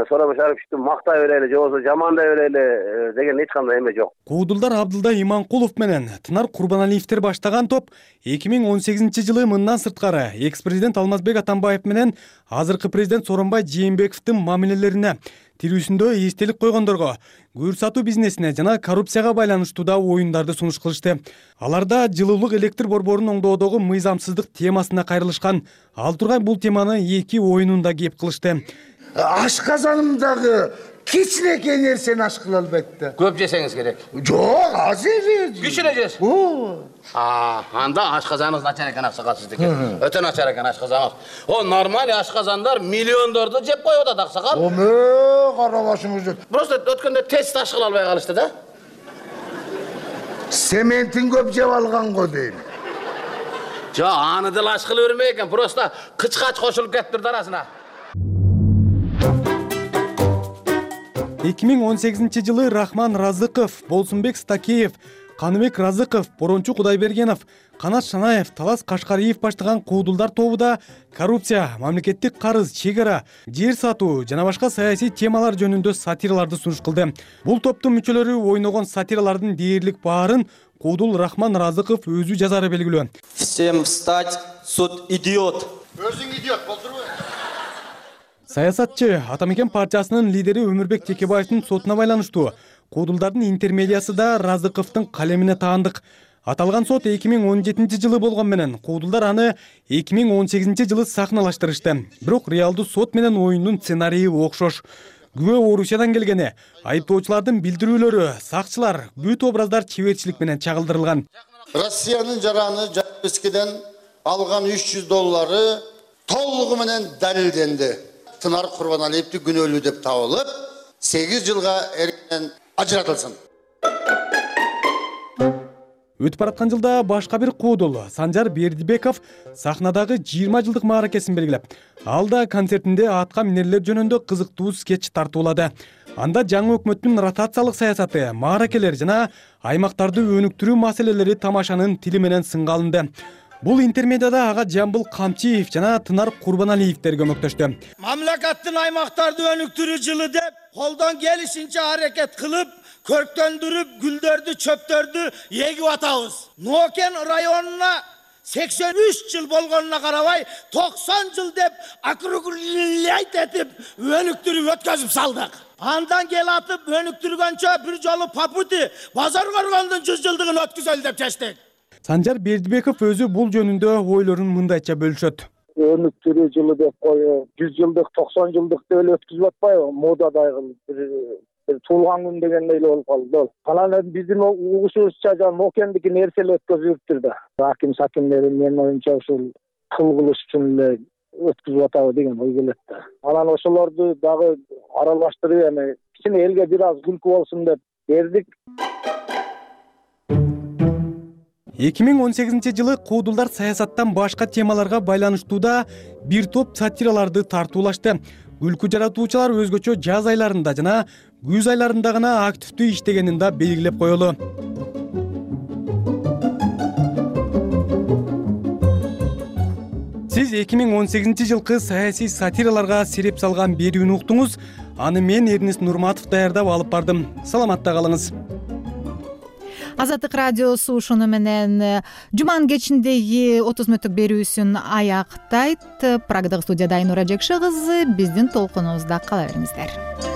Сооронбай Шариповичти мактай берели же болбосо жамандай берели деген эч кандай эме жок.
Куудулдар Абдылда Иманкулов менен Тынар Курбаналиевдер баштаган топ эки миң он сегизинчи жылы мындан сырткары экс-президент Алмазбек Атамбаев менен азыркы президент Сооронбай Жээнбековдун мамилелерине, тирүүсүндө эстелик койгондорго, көр сатуу бизнесине жана коррупцияга байланыштуу да оюндарды сунуш кылышты. Аларда жылуулук электр борборун оңдоодогу мыйзамсыздык темасына кайрылышкан. Ал тургай бул теманы эки оюнунда кеп кылышты.
Ашказанымдагы кичинекей нерсени аш кыла албайт да.
Көп жесеңиз керек.
Жок, аз эле.
Кичине жес. А, анда ашказаныңыз начар экен аксакал сиздики. Өтө начар экен ашказаныңыз. О, нормаль ашказандар миллиондорду жеп коюп атат аксакал.
Оме, карабашыңыз.
Просто өткөндө тест аш кыла албай калышты да.
Сементин көп жеп алган го дейм.
Жо, аны деле аш кыла бермей экен, просто кычкач кошулуп кетиптир арасына.
эки миң он сегизинчи жылы Рахман Разыков, Болсунбек Стакеев, Каныбек Разыков, Борончу Кудайбергенов, Канат Шанаев, Талас Кашкариев баштаган куудулдар тобу да коррупция, мамлекеттик карыз, чегара, жер сатуу жана башка саясий темалар жөнүндө сатираларды сунуш кылды. Бул топтун мүчөлөрү ойногон сатиралардын дээрлик баарын куудул Рахман Разыков өзү жазары белгилүү.
Всем встать, суд идиот.
Өзүң идиот болдурбу?
Саясатчы Атамекен партиясынын лидери Өмүрбек Текебаевдин сотуна байланыштуу куудулдардын интермедиясы да Разыковдун калемине таандык. Аталган сот эки миң он жетинчи жылы болгон менен куудулдар аны эки миң он сегизинчи жылы сахналаштырышты. Бирок реалдуу сот менен оюндун сценарийи окшош. Күбө Орусиядан келгени, айыптоочулардын билдирүүлөрү, сакчылар, бүт образдар чеберчилик менен чагылдырылган.
Россиянын жараны Жапескеден алган үч жүз доллары толугу менен далилденди. Тынар Курбаналиевди күнөөлүү деп табылып, сегиз жылга эркинен ажыратылсын.
Өтүп бараткан жылда башка бир куудул Санжар Бердибеков сахнадагы жыйырма жылдык мааракесин белгилеп, ал да концертинде атка минерлер жөнүндө кызыктуу скетч тартуулады. Анда жаңы өкмөттүн ротациялык саясаты, мааракелер жана аймактарды өнүктүрүү маселелери тамашанын тили менен сынга алынды. Бул интермедияда ага Жамбыл Камчиев жана Тынар Курбаналиевдер көмөктөштү.
Мамлекеттин аймактарды өнүктүрүү жылы деп
колдон келишинче аракет кылып көрктөндүрүп гүлдөрдү чөптөрдү эгип атабыз. Нокен районуна сексен үч жыл болгонуна карабай токсон жыл деп округлять этип өнүктүрүп өткөзүп салдык. Андан келатып өнүктүргөнчө бир жолу попути базар коргондун жүз жылдыгын өткүзөлү деп чечтик.
Санжар Бердибеков өзү бул жөнүндө ойлорун мындайча бөлүшөт.
Өнүктүрүү жылы деп коюп, жүз жылдык, токсон жылдыкты эле өткүзүп атпайбы? Модадагы бир туулган күн дегендей эле болуп калды. Анан биздин угушубузча жана Нокендики нерсе эле өткөзүптүр да. Аким сакимдери менин оюмча ушул кыл кылыш үчүн эле өткүзүп атабы деген ой келет да. Анан ошолорду дагы аралаштырып эми кичине элге бир аз күлкү болсун деп бердик.
эки миң он сегизинчи жылы куудулдар саясаттан башка темаларга байланыштууда бир топ сатираларды тартуулашты. Күлкү жаратуучулар өзгөчө жаз айларында жана күз айларында гана активдүү иштегенин да белгилеп коелу. Сиз эки миң он сегизинчи жылкы саясий сатираларга сереп салган берүүнү уктуңуз. Аны мен Эрнест Нурматов даярдап алып бардым. Саламатта калыңыз.
Азаттык радиосу ушуну менен жуманын кечиндеги отуз мүнөттүк берүүсүн аяктайт. Прагдагы студияда Айнура Жекше кызы, биздин толкунубузда кала бериңиздер.